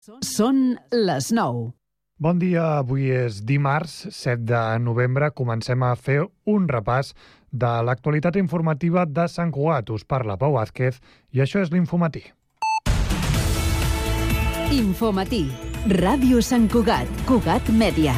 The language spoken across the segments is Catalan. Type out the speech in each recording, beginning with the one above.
Són les 9. Bon dia, avui és dimarts, 7 de novembre. Comencem a fer un repàs de l'actualitat informativa de Sant Cugat. Us parla Pau Vázquez i això és l'Infomatí. Infomatí. Ràdio Sant Cugat. Cugat Mèdia.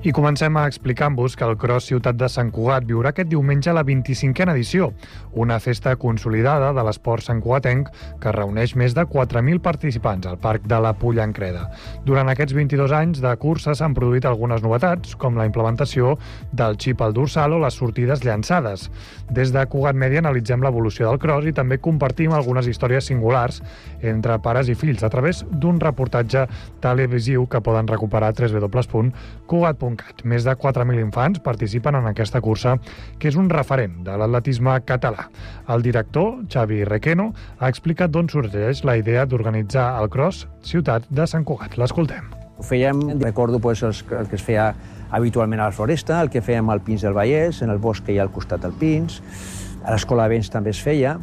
I comencem a explicar-vos que el Cross Ciutat de Sant Cugat viurà aquest diumenge la 25a edició, una festa consolidada de l'esport santcugatenc que reuneix més de 4.000 participants al Parc de la Pollancreda. Durant aquests 22 anys de cursa s'han produït algunes novetats, com la implementació del xip al dorsal o les sortides llançades. Des de Cugat Mèdia analitzem l'evolució del Cross i també compartim algunes històries singulars entre pares i fills a través d'un reportatge televisiu que poden recuperar a www.cugat.cat. Més de 4.000 infants participen en aquesta cursa, que és un referent de l'atletisme català. El director, Xavi Requeno, ha explicat d'on sorgeix la idea d'organitzar el Cross Ciutat de Sant Cugat. L'escoltem. Ho fèiem, recordo el que es feia habitualment a la Floresta, el que fèiem al Pins del Vallès, en el bosc que hi ha al costat del Pins, a l'Escola de Vents també es feia,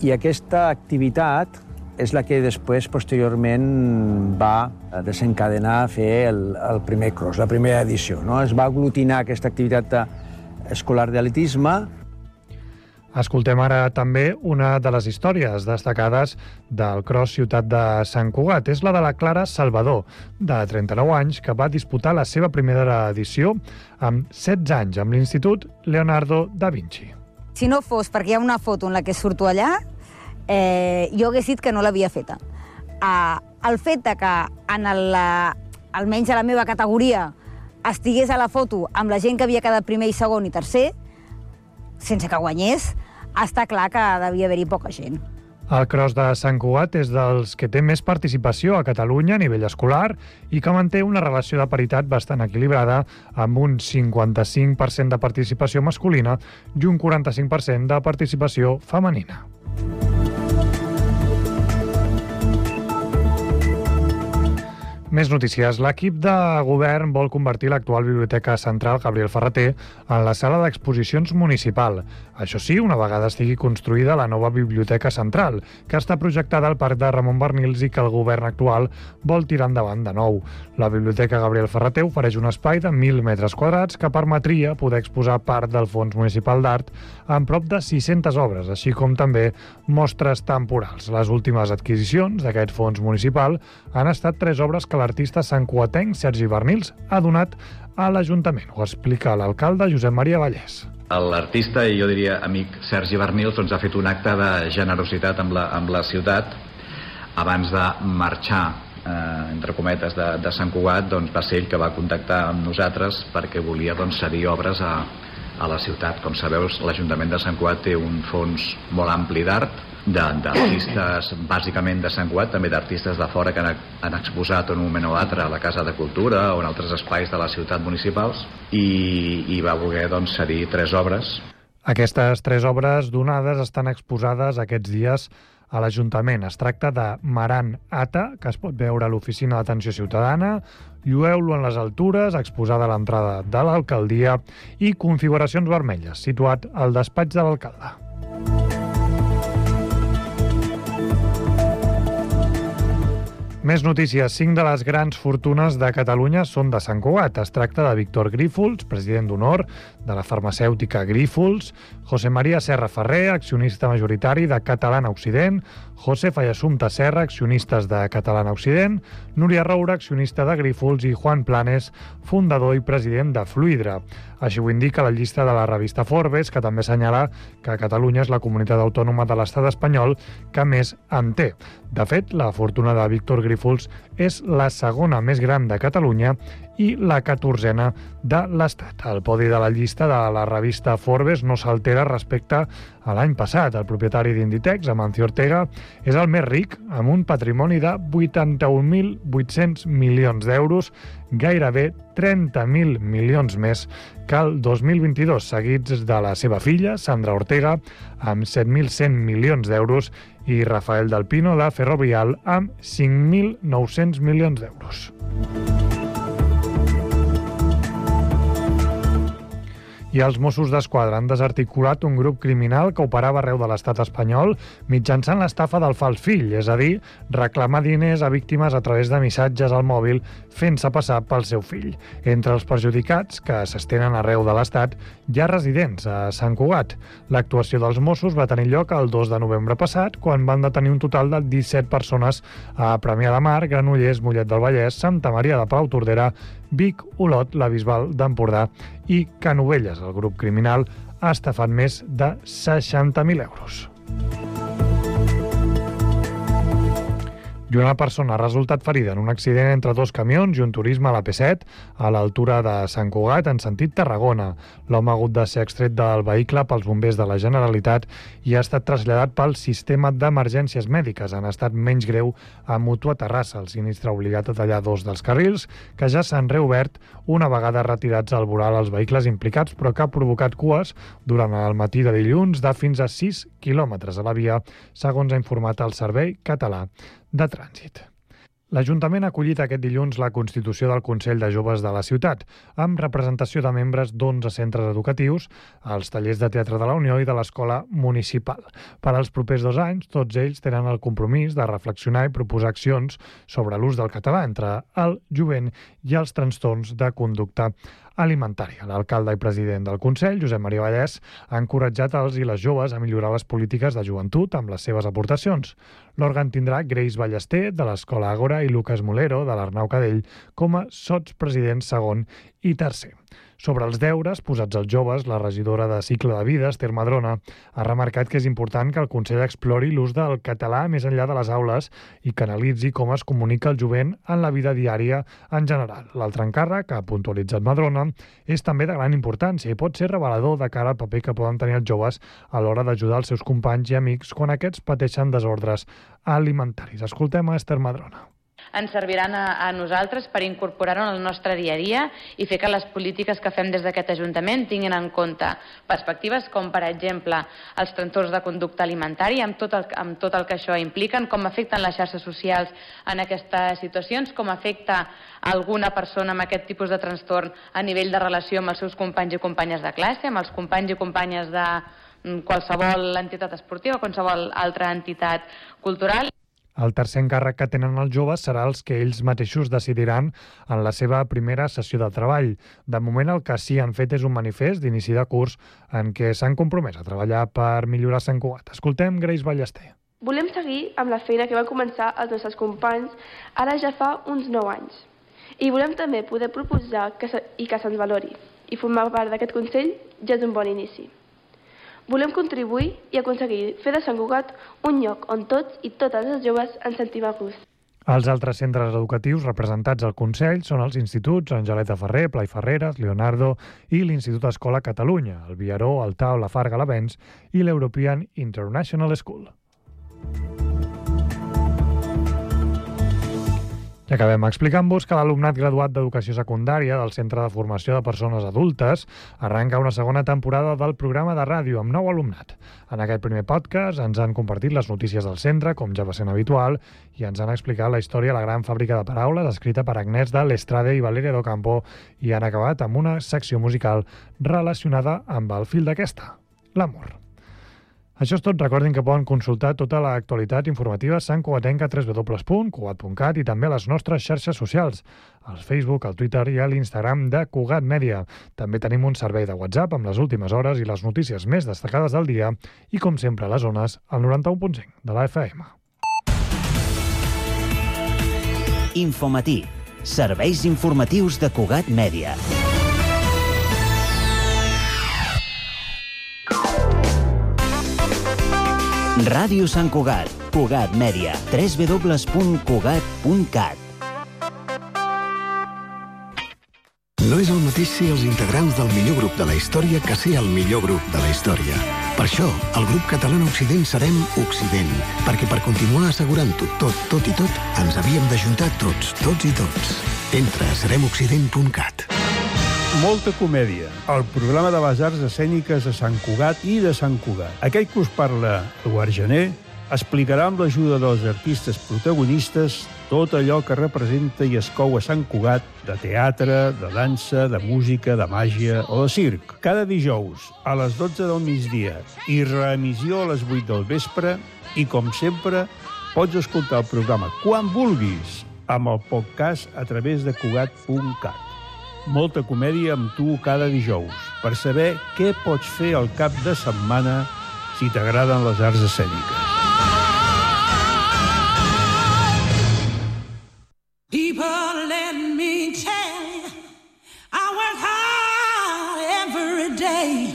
i aquesta activitat és la que després, posteriorment, va desencadenar a fer el primer cross, la primera edició. No? Es va aglutinar aquesta activitat escolar d'atletisme. Escoltem ara també una de les històries destacades del Cross Ciutat de Sant Cugat. És la de la Clara Salvador, de 39 anys, que va disputar la seva primera edició amb 16 anys amb l'Institut Leonardo da Vinci. Si no fos perquè hi ha una foto en la que surto allà, jo hagués dit que no l'havia feta. El fet que almenys a la meva categoria estigués a la foto amb la gent que havia quedat primer i segon i tercer, sense que guanyés, està clar que devia haver-hi poca gent. El Cross de Sant Cugat és dels que té més participació a Catalunya a nivell escolar i que manté una relació de paritat bastant equilibrada amb un 55% de participació masculina i un 45% de participació femenina. Més notícies. L'equip de govern vol convertir l'actual Biblioteca Central Gabriel Ferrater en la sala d'exposicions municipal. Això sí, una vegada estigui construïda la nova Biblioteca Central, que està projectada al Parc de Ramon Barnils i que el govern actual vol tirar endavant de nou. La Biblioteca Gabriel Ferrater ofereix un espai de 1.000 metres quadrats que permetria poder exposar part del Fons Municipal d'Art amb prop de 600 obres, així com també mostres temporals. Les últimes adquisicions d'aquest fons municipal han estat 3 obres que l'artista santcugatenc Sergi Barnils ha donat a l'Ajuntament. Ho explica l'alcalde Josep Maria Vallès. L'artista, i jo diria amic Sergi Barnils, ha fet un acte de generositat amb la ciutat. Abans de marxar, entre cometes, de Sant Cugat, va ser ell que va contactar amb nosaltres perquè volia cedir obres a la ciutat. Com sabeu, l'Ajuntament de Sant Cugat té un fons molt ampli d'art, d'artistes bàsicament de Sant Cugat, també d'artistes de fora que han exposat en un moment o altre a la Casa de Cultura o en altres espais de la ciutat municipals i va voler cedir 3 obres. Aquestes 3 obres donades estan exposades aquests dies a l'Ajuntament. Es tracta de Maran Ata, que es pot veure a l'Oficina d'Atenció Ciutadana, Llueu-lo en les altures, exposada a l'entrada de l'alcaldia, i Configuracions vermelles, situat al despatx de l'alcalde. Més notícies. 5 de les grans fortunes de Catalunya són de Sant Cugat. Es tracta de Víctor Grífols, president d'honor de la farmacèutica Grífols, José María Serra Ferrer, accionista majoritari de Catalana Occident, Josefa i Assumpta Serra, accionistes de Catalana Occident, Núria Roura, accionista de Grífols, i Juan Planes, fundador i president de Fluidra. Així ho indica la llista de la revista Forbes, que també assenyala que Catalunya és la comunitat autònoma de l'estat espanyol que més en té. De fet, la fortuna de Víctor Grífols és la segona més gran de Catalunya i la 14a de l'Estat. El podi de la llista de la revista Forbes no s'altera respecte a l'any passat. El propietari d'Inditex, Amancio Ortega, és el més ric, amb un patrimoni de 81.800 milions d'euros, gairebé 30.000 milions més que el 2022, seguits de la seva filla, Sandra Ortega, amb 7.100 milions d'euros, i Rafael del Pino, de Ferrovial, amb 5.900 milions d'euros. I els Mossos d'Esquadra han desarticulat un grup criminal que operava arreu de l'estat espanyol mitjançant l'estafa del fals fill, és a dir, reclamar diners a víctimes a través de missatges al mòbil fent-se passar pel seu fill. Entre els perjudicats, que s'estenen arreu de l'estat, hi ha residents a Sant Cugat. L'actuació dels Mossos va tenir lloc el 2 de novembre passat, quan van detenir un total de 17 persones a Premià de Mar, Granollers, Mollet del Vallès, Santa Maria de Palautordera, Vic, Olot, la Bisbal d'Empordà i Canovelles. El grup criminal ha estafat més de 60.000 euros. I una persona ha resultat ferida en un accident entre dos camions i un turisme a la P7 a l'altura de Sant Cugat en sentit Tarragona. L'home ha hagut de ser extret del vehicle pels bombers de la Generalitat i ha estat traslladat pel sistema d'emergències mèdiques. En estat menys greu a Mútua Terrassa. El sinistre ha obligat a tallar dos dels carrils que ja s'han reobert una vegada retirats al voral els vehicles implicats, però que ha provocat cues durant el matí de dilluns de fins a 6 quilòmetres a la via, segons ha informat el Servei Català de Trànsit. L'Ajuntament ha acollit aquest dilluns la constitució del Consell de Joves de la ciutat, amb representació de membres d'11 centres educatius, els tallers de teatre de la Unió i de l'Escola Municipal. Per als propers 2 anys, tots ells tenen el compromís de reflexionar i proposar accions sobre l'ús del català entre el jovent i els trastorns de conducta alimentària. L'alcalde i president del Consell, Josep Maria Vallès, ha encoratjat els i les joves a millorar les polítiques de joventut amb les seves aportacions. L'òrgan tindrà Grace Ballester, de l'Escola Àgora, i Lucas Molero, de l'Arnau Cadell, com a sotspresidents segon i tercer. Sobre els deures posats als joves, la regidora de Cicle de Vida, Esther Madrona, ha remarcat que és important que el Consell explori l'ús del català més enllà de les aules i que analitzi com es comunica el jovent en la vida diària en general. L'altre encàrrec, que ha puntualitzat Madrona, és també de gran importància i pot ser revelador de cara al paper que poden tenir els joves a l'hora d'ajudar els seus companys i amics quan aquests pateixen desordres alimentaris. Escoltem a Esther Madrona. Ens serviran a nosaltres per incorporar-ho en el nostre dia a dia i fer que les polítiques que fem des d'aquest Ajuntament tinguin en compte perspectives com, per exemple, els trastorns de conducta alimentària, amb tot el que això implica, com afecten les xarxes socials en aquestes situacions, com afecta alguna persona amb aquest tipus de trastorn a nivell de relació amb els seus companys i companyes de classe, amb els companys i companyes de qualsevol entitat esportiva o qualsevol altra entitat cultural. El tercer encàrrec que tenen els joves serà els que ells mateixos decidiran en la seva primera sessió de treball. De moment el que sí han fet és un manifest d'inici de curs en què s'han compromès a treballar per millorar Sant Cugat. Escoltem Grace Ballester. Volem seguir amb la feina que van començar els nostres companys ara ja fa uns 9 anys. I volem també poder proposar que se'ns valori. I formar part d'aquest Consell ja és un bon inici. Volem contribuir i aconseguir fer de Sant Cugat un lloc on tots i totes els joves ens sentim a gust. Els altres centres educatius representats al Consell són els instituts Angeleta Ferrer, Blai Ferreres, Leonardo i l'Institut Escola Catalunya, el Viaró, el Tau, la Farga, l'Avenç i l'European International School. I acabem explicant-vos que l'alumnat graduat d'Educació Secundària del Centre de Formació de Persones Adultes arranca una segona temporada del programa de ràdio amb nou alumnat. En aquest primer podcast ens han compartit les notícies del centre, com ja va sent habitual, i ens han explicat la història de la gran fàbrica de paraules escrita per Agnès de l'Estrade i Valeria d'Ocampo i han acabat amb una secció musical relacionada amb el fil d'aquesta, l'amor. Això és tot. Recordin que poden consultar tota l'actualitat informativa santcugatenca a www.cugat.cat i també a les nostres xarxes socials, al Facebook, al Twitter i a l'Instagram de Cugat Mèdia. També tenim un servei de WhatsApp amb les últimes hores i les notícies més destacades del dia i, com sempre, a les zones, al 91.5 de la FM. Infomatí. Serveis informatius de Cugat Mèdia. Ràdio Sant Cugat, Cugat Mèdia, www.cugat.cat. No és el mateix ser els integrants del millor grup de la història que ser el millor grup de la història. Per això, el grup català Occident serem Occident, perquè per continuar assegurant-ho tot i tot, ens havíem d'ajuntar tots i tots. Entra a seremoccident.cat. Molta comèdia, el programa de les arts escèniques de Sant Cugat i de Sant Cugat. Aquell que us parla, Eduard Gené, explicarà amb l'ajuda dels artistes protagonistes tot allò que representa i es cou a Sant Cugat, de teatre, de dansa, de música, de màgia o de circ. Cada dijous, a les 12 del migdia, i reemissió a les 8 del vespre, i com sempre, pots escoltar el programa quan vulguis, amb el podcast a través de Cugat.cat. Molta comèdia amb tu cada dijous, per saber què pots fer al cap de setmana si t'agraden les arts escèniques. People, let me tell you, I work hard every day.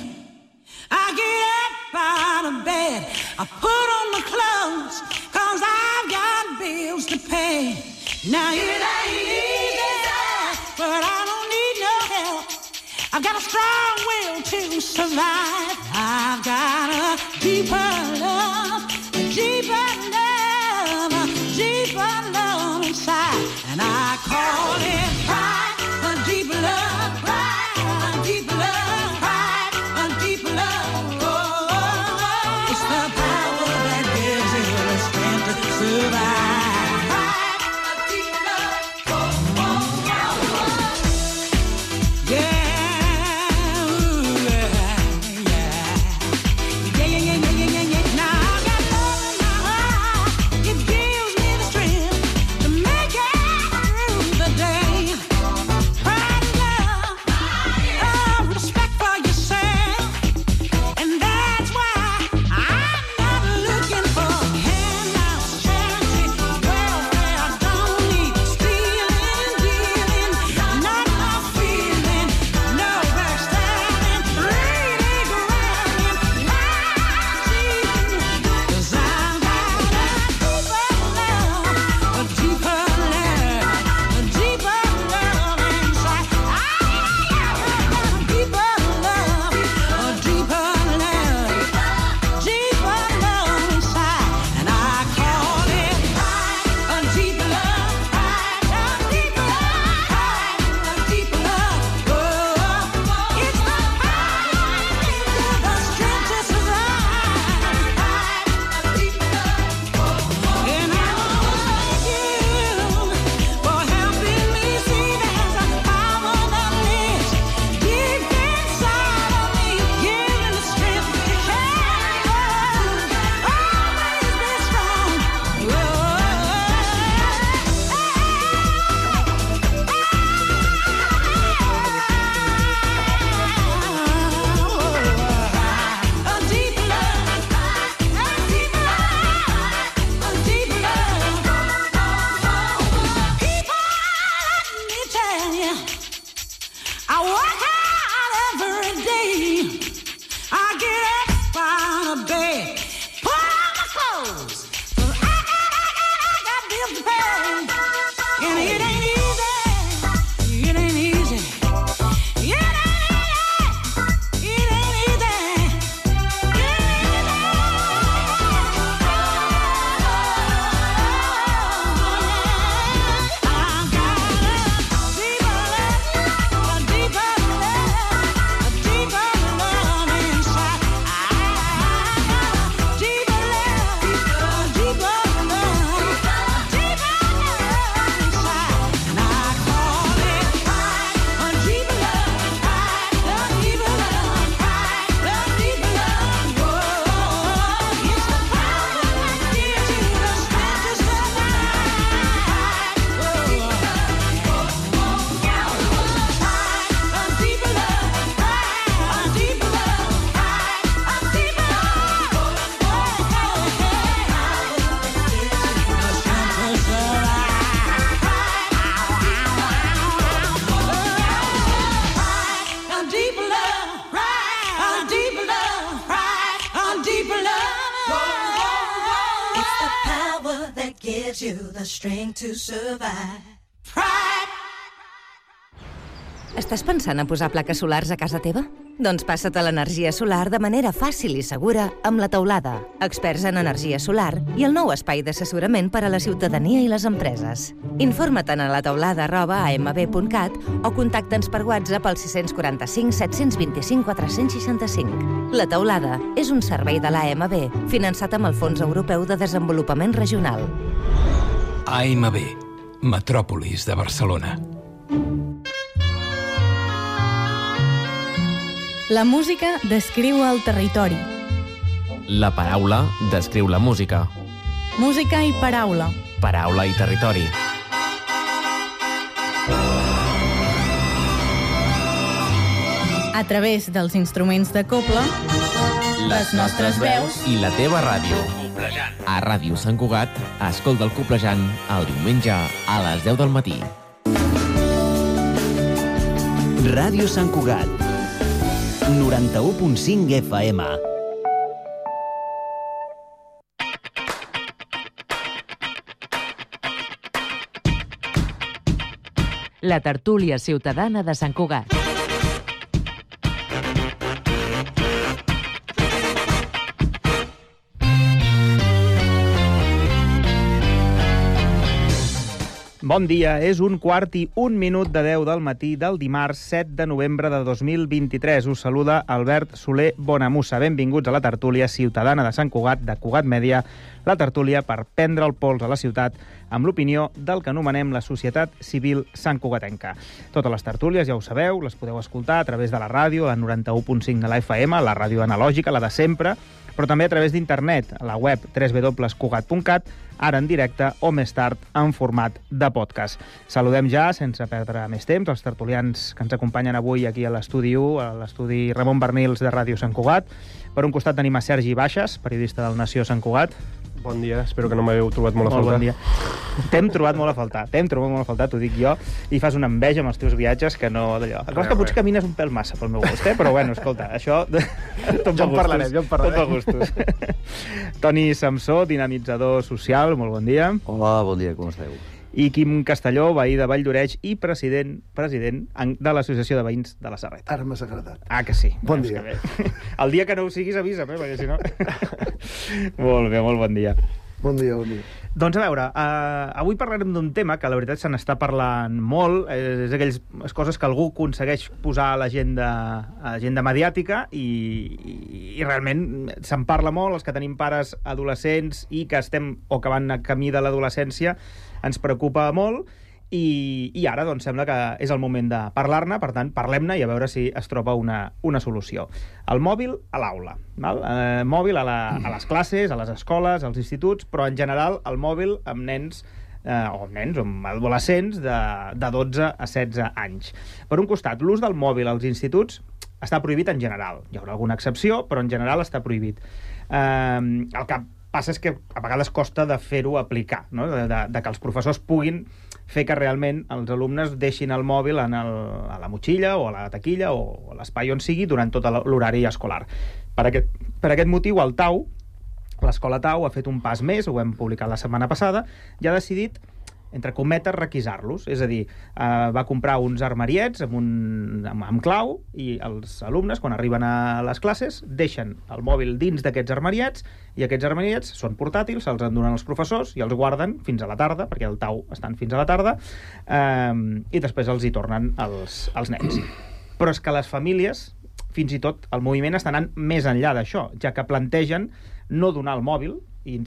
I get up out of bed, I put on my clothes, 'cause I've got bills to pay. Now it ain't easy, but I don't need no help. I've got a strong will to survive. I've got a deeper love, a deeper love, a deeper love inside. And I call it pride, a deep love, pride, a deep love, pride, a deep love. Oh, it's the power that gives you the strength to survive. Pride, a deep love. Oh, oh, oh. Yeah. gives you the strength to survive. Pride. Estàs pensant a posar plaques solars a casa teva? Doncs passa't a l'energia solar de manera fàcil i segura amb La Teulada, experts en energia solar i el nou espai d'assessorament per a la ciutadania i les empreses. Informa't a lataulada@amb.cat o contacta'ns per WhatsApp al 645 725 465. La Teulada és un servei de l'AMB finançat amb el Fons Europeu de Desenvolupament Regional. AMB, Metròpolis de Barcelona. La música descriu el territori. La paraula descriu la música. Música i paraula. Paraula i territori. A través dels instruments de cobla, les nostres veus i la teva ràdio. A Ràdio Sant Cugat, escolta el Coplejant el diumenge a les 10 del matí. Ràdio Sant Cugat, 91.5 FM. La tertúlia ciutadana de Sant Cugat. Bon dia, és 1:15 de 10 del matí del dimarts 7 de novembre de 2023. Us saluda Albert Soler Bonamussa. Benvinguts a la tertúlia ciutadana de Sant Cugat, de Cugat Mèdia, la tertúlia per prendre el pols a la ciutat amb l'opinió del que anomenem la societat civil santcugatenca. Totes les tertúlies, ja ho sabeu, les podeu escoltar a través de la ràdio, la 91.5 de la FM, la ràdio analògica, la de sempre, però també a través d'internet, a la web www.cugat.cat, ara en directe o més tard en format de podcast. Saludem ja, sense perdre més temps, els tertulians que ens acompanyen avui aquí a l'estudi 1, a l'estudi Ramon Bernils de Ràdio Sant Cugat. Per un costat tenim a Sergi Baixes, periodista del Nació Sant Cugat. Bon dia, espero que no m'heu trobat molt a faltar. Bon dia. T'hem trobat molt a faltar, t'ho dic jo, i fas una enveja amb els teus viatges que no d'allò. El que potser camines un pèl massa pel meu gust, però bueno, escolta, això... Jo en parlarem. Tot per gustos. Toni Samsó, dinamitzador social, molt bon dia. Hola, bon dia, com esteu? I Quim Castelló, veí de Valldoreix i president de l'Associació de Veïns de la Serreta. Ara m'ha agradat. Ah, que sí. Bon dia. El dia que no ho siguis avisa'm, perquè si no... Molt bé, molt bon dia. Bon dia, bon dia. Doncs a veure, avui parlarem d'un tema que la veritat se n'està parlant molt, és aquelles coses que algú aconsegueix posar a l'agenda mediàtica i realment se'n parla molt, els que tenim pares adolescents i que estem o que van a camí de l'adolescència ens preocupa molt i ara doncs sembla que és el moment de parlar-ne, per tant parlem-ne i a veure si es troba una solució. El mòbil a l'aula, mòbil a les classes, a les escoles, als instituts, però en general el mòbil amb nens o amb adolescents de 12 a 16 anys. Per un costat, l'ús del mòbil als instituts està prohibit en general. Hi haurà alguna excepció, però en general està prohibit. El que passa és que a vegades costa de fer-ho aplicar, no? de que els professors puguin fer que realment els alumnes deixin el mòbil a la motxilla o a la taquilla o a l'espai on sigui durant tot l'horari escolar. Per aquest motiu, el TAU, l'escola TAU, ha fet un pas més, ho hem publicat la setmana passada, i ha decidit, entre cometes, requisar-los. És a dir, va comprar uns armariets amb clau i els alumnes, quan arriben a les classes, deixen el mòbil dins d'aquests armariets i aquests armariets són portàtils, se'ls en donen els professors i els guarden fins a la tarda, perquè el TAU estan fins a la tarda, i després els hi tornen els nens. Però és que les famílies, fins i tot el moviment està anant més enllà d'això, ja que plantegen no donar el mòbil, i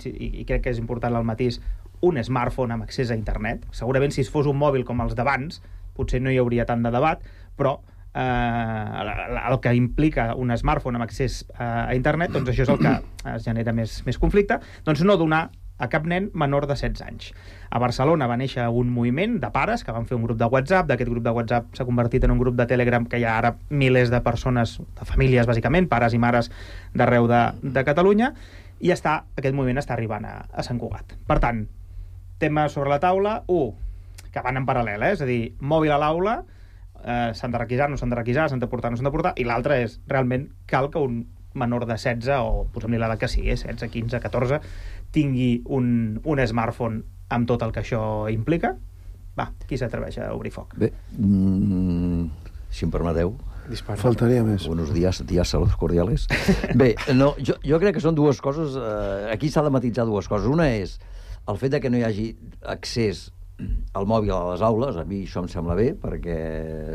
crec que és important el matís, un smartphone amb accés a internet. Segurament si es fos un mòbil com els d'abans potser no hi hauria tant de debat, però el que implica un smartphone amb accés a internet, doncs això és el que es genera més conflicte, doncs no donar a cap nen menor de 16 anys. A Barcelona va néixer un moviment de pares que van fer un grup de WhatsApp. D'aquest grup de WhatsApp s'ha convertit en un grup de Telegram que hi ha ara milers de persones, de famílies bàsicament, pares i mares d'arreu de Catalunya, i aquest moviment està arribant a Sant Cugat. Per tant, tema sobre la taula, que van en paral·lel, és a dir, mòbil a l'aula, s'han de requisar, no s'han de requisar, s'han de portar, no s'han de portar, i l'altre és, realment, cal que un menor de 16, o posem-li l'edat que sigui, 16, 15, 14, tingui un smartphone amb tot el que això implica? Va, qui s'atreveix a obrir foc? Bé, si em permeteu, Dispara. Faltaria més. Buenos días, saludos cordiales. Bé, no, jo crec que són dues coses, aquí s'ha de matisar dues coses. Una és el fet que no hi hagi accés al mòbil a les aules, a mi això em sembla bé, perquè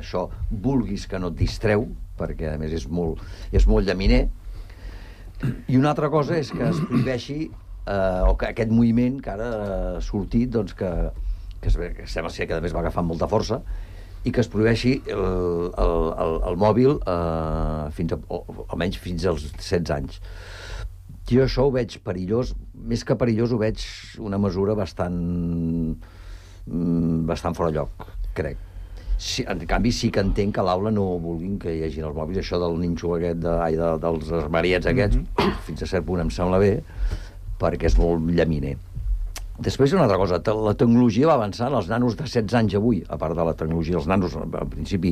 això vulguis que no et distreu, perquè a més és molt llaminer. I una altra cosa és que es prohibeixi o que aquest moviment que ara ha sortit, doncs, que sembla ser que a més va agafant molta força, i que es prohibeixi el mòbil almenys fins als 16 anys. Jo això ho veig perillós, més que perillós ho veig una mesura bastant fora lloc, crec. En canvi, sí que entenc que a l'aula no vulguin que hi hagin els mòbils. Això del ninxo aquest, dels armariets aquests, fins a cert punt em sembla bé, perquè és molt llaminer. Després, una altra cosa, la tecnologia va avançant. Els nanos de 16 anys avui, a part de la tecnologia, els nanos, en principi,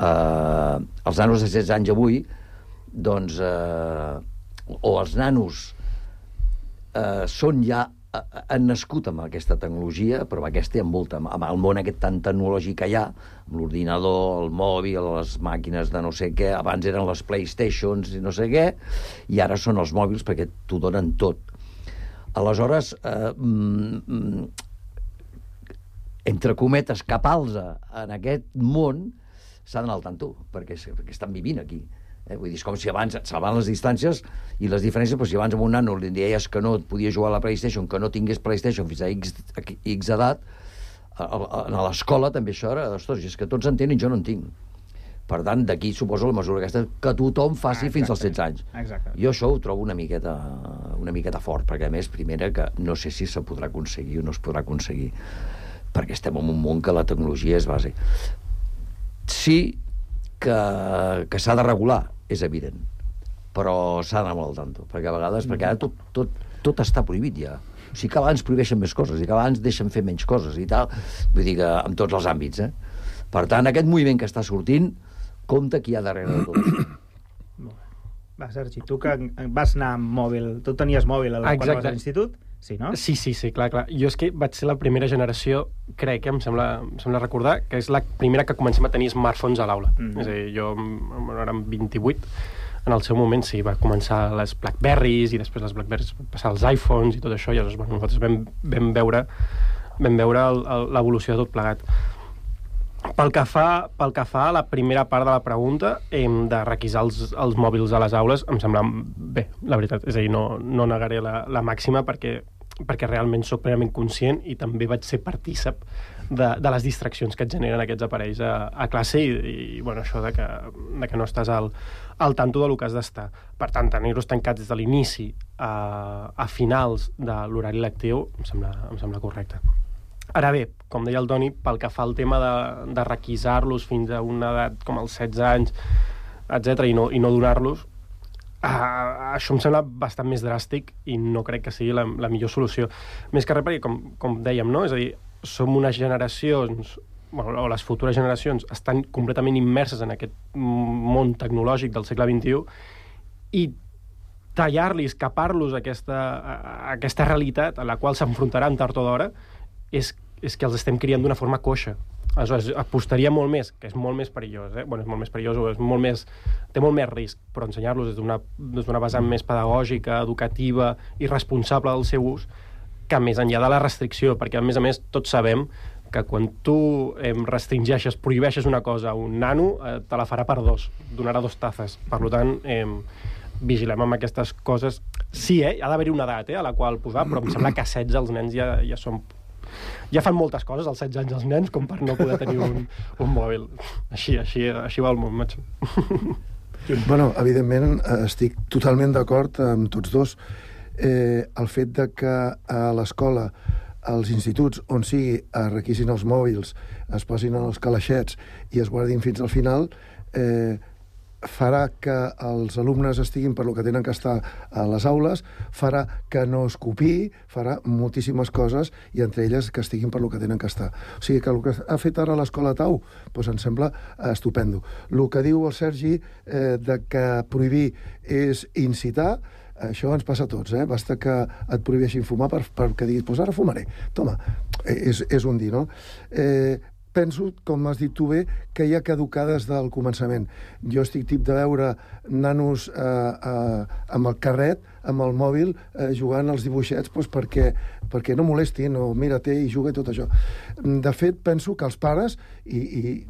els nanos de 16 anys avui, doncs, o els nanos han nascut amb aquesta tecnologia, però amb aquesta i amb molta, amb el món aquest tan tecnològic que hi ha, amb l'ordinador, el mòbil, les màquines de no sé què, abans eren les PlayStations i no sé què, i ara són els mòbils perquè t'ho donen tot. Aleshores, entre cometes, capals en aquest món s'ha d'anar al tanto, perquè estan vivint aquí. Vull dir, és com si abans et salvaven les distàncies i les diferències, però si abans amb un nano li deies que no podia jugar a la PlayStation, que no tingués PlayStation fins a X edat, a l'escola també això era, ostres, és que tots en tenen i jo no en tinc. Per tant, d'aquí suposo la mesura aquesta que tothom faci fins als 16 anys. Exacte. Jo això ho trobo una miqueta fort, perquè a més, primera, que no sé si se podrà aconseguir o no es podrà aconseguir, perquè estem en un món que la tecnologia és base. Sí que s'ha de regular, és evident, però s'ha d'anar molt al tanto, perquè a vegades, perquè ara tot està prohibit ja. O sigui que abans prohibeixen més coses i que abans deixen fer menys coses i tal, vull dir que en tots els àmbits, Per tant, aquest moviment que està sortint, compte qui hi ha darrere de tot això. Va, Sergi, tu que vas anar amb mòbil, tu tenies mòbil quan vas a l'institut? Sí, no? Sí, clar. Jo és que vaig ser la primera generació, crec, em sembla recordar, que és la primera que comencem a tenir smartphones a l'aula. És a dir, jo érem 28, en el seu moment sí, va començar les Blackberries i després les Blackberries van passar als iPhones i tot això, i llavors nosaltres vam veure l'evolució de tot plegat. Pel que fa a la primera part de la pregunta, de requisar els mòbils a les aules, em sembla bé, la veritat. És a dir, no negaré la màxima perquè realment soc plenament conscient i també vaig ser partícip de les distraccions que et generen aquests aparells a classe i bueno, això de que no estàs al tanto del que has d'estar. Per tant, tenir-los tancats des de l'inici a finals de l'horari lectiu em sembla correcte. Ara bé, com deia el Toni, pel que fa al tema de requisar-los fins a una edat com els 16 anys, etc i no donar-los, això em sembla bastant més dràstic i no crec que sigui la millor solució. Més que res perquè, com dèiem, no? És a dir, som unes generacions, o les futures generacions, estan completament immerses en aquest món tecnològic del segle XXI i tallar-los, escapar-los a aquesta realitat a la qual s'enfrontaran tard o d'hora és que els estem criant d'una forma coixa. Aleshores, apostaria molt més, que és molt més perillós, Bueno, és molt més perillós, té molt més risc, però ensenyar-los des d'una vessant més pedagògica, educativa i responsable del seu ús, que més enllà de la restricció, perquè a més tots sabem que quan tu restringeixes, prohibeixes una cosa a un nano, te la farà per dos, donarà 2 tazes. Per tant, vigilem amb aquestes coses. Sí, ha d'haver-hi una edat a la qual posar, però em sembla que a 16 els nens ja són... Ja fan moltes coses als 16 anys els nens com per no poder tenir un mòbil. Així va el món, macho. Bueno, evidentment estic totalment d'acord amb tots dos. El fet de que a l'escola, als instituts, on sigui, es requisin els mòbils, es posin en els calaixets i es guardin fins al final, farà que els alumnes estiguin per lo que tenen que estar a les aules, farà que no es copiï, farà moltíssimes coses i entre elles que estiguin per lo que tenen que estar. O sigui que el que ha fet ara l'escola Tau doncs em sembla estupendo. El que diu el Sergi de que prohibir és incitar, això ens passa a tots, Basta que et prohibeixin fumar perquè diguis, doncs ara fumaré. Toma, és un dir, no? Penso, com has dit tu bé, que hi ha caducar des del començament. Jo estic tip de veure nanos amb el carret, amb el mòbil, jugant als dibuixets perquè no molestin, o mira-te i juga i tot això. De fet, penso que els pares, i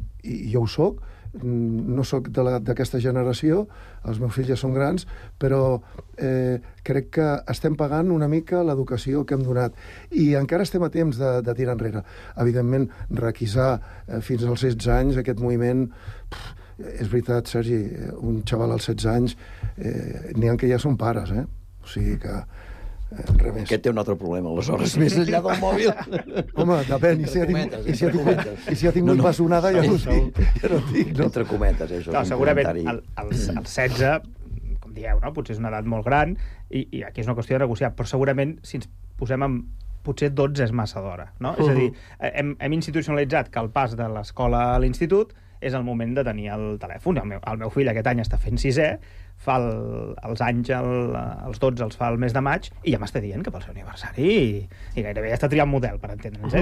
jo ho soc, no sóc d'aquesta generació, els meus fills ja són grans, però crec que estem pagant una mica l'educació que hem donat. I encara estem a temps de tirar enrere. Evidentment, requisar fins als 16 anys aquest moviment... És veritat, Sergi, un xaval als 16 anys, n'hi ha que ja són pares, O sigui que... Aquest té un altre problema, aleshores, més enllà del mòbil. Home, depèn, i si ha tingut bessonada ja no dic. Entre cometes, això és un segurament comentari. els 16, com dieu, potser és una edat molt gran, i aquí és una qüestió de negociar, però segurament si ens posem en... potser 12 és massa d'hora, no? És a dir, hem institucionalitzat que el pas de l'escola a l'institut és el moment de tenir el telèfon. El meu fill aquest any està fent 6è, fa els anys, els 12 els fa el mes de maig, i ja m'està dient que pel seu aniversari i gairebé ja està triant model, per entendre'ns.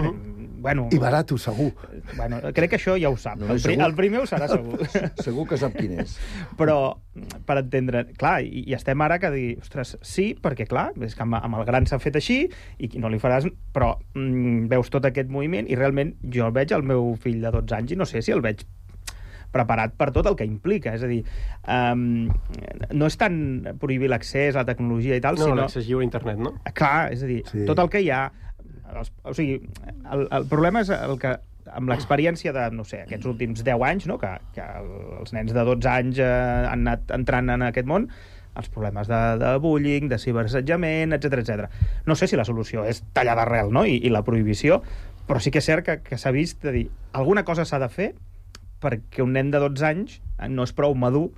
Bueno, i barato, segur. Bueno, crec que això ja ho sap. El primer ho serà segur. Segur que sap quin és. Però, per entendre... Clar, i estem ara que dir, ostres, sí, perquè clar, és que amb el gran s'ha fet així i no li faràs... Però veus tot aquest moviment i realment jo veig el meu fill de 12 anys i no sé si el veig preparat per tot el que implica. És a dir, no és tant prohibir l'accés a la tecnologia i tal, sinó... No, l'accés lliure a internet, no? Clar, és a dir, tot el que hi ha... O sigui, el problema és el que amb l'experiència de, no sé, aquests últims 10 anys, no? que els nens de 12 anys han anat entrant en aquest món, els problemes de bullying, de ciberassetjament, etc. No sé si la solució és tallar d'arrel, no? I la prohibició, però sí que és cert que s'ha vist de dir alguna cosa s'ha de fer perquè un nen de 12 anys no és prou madur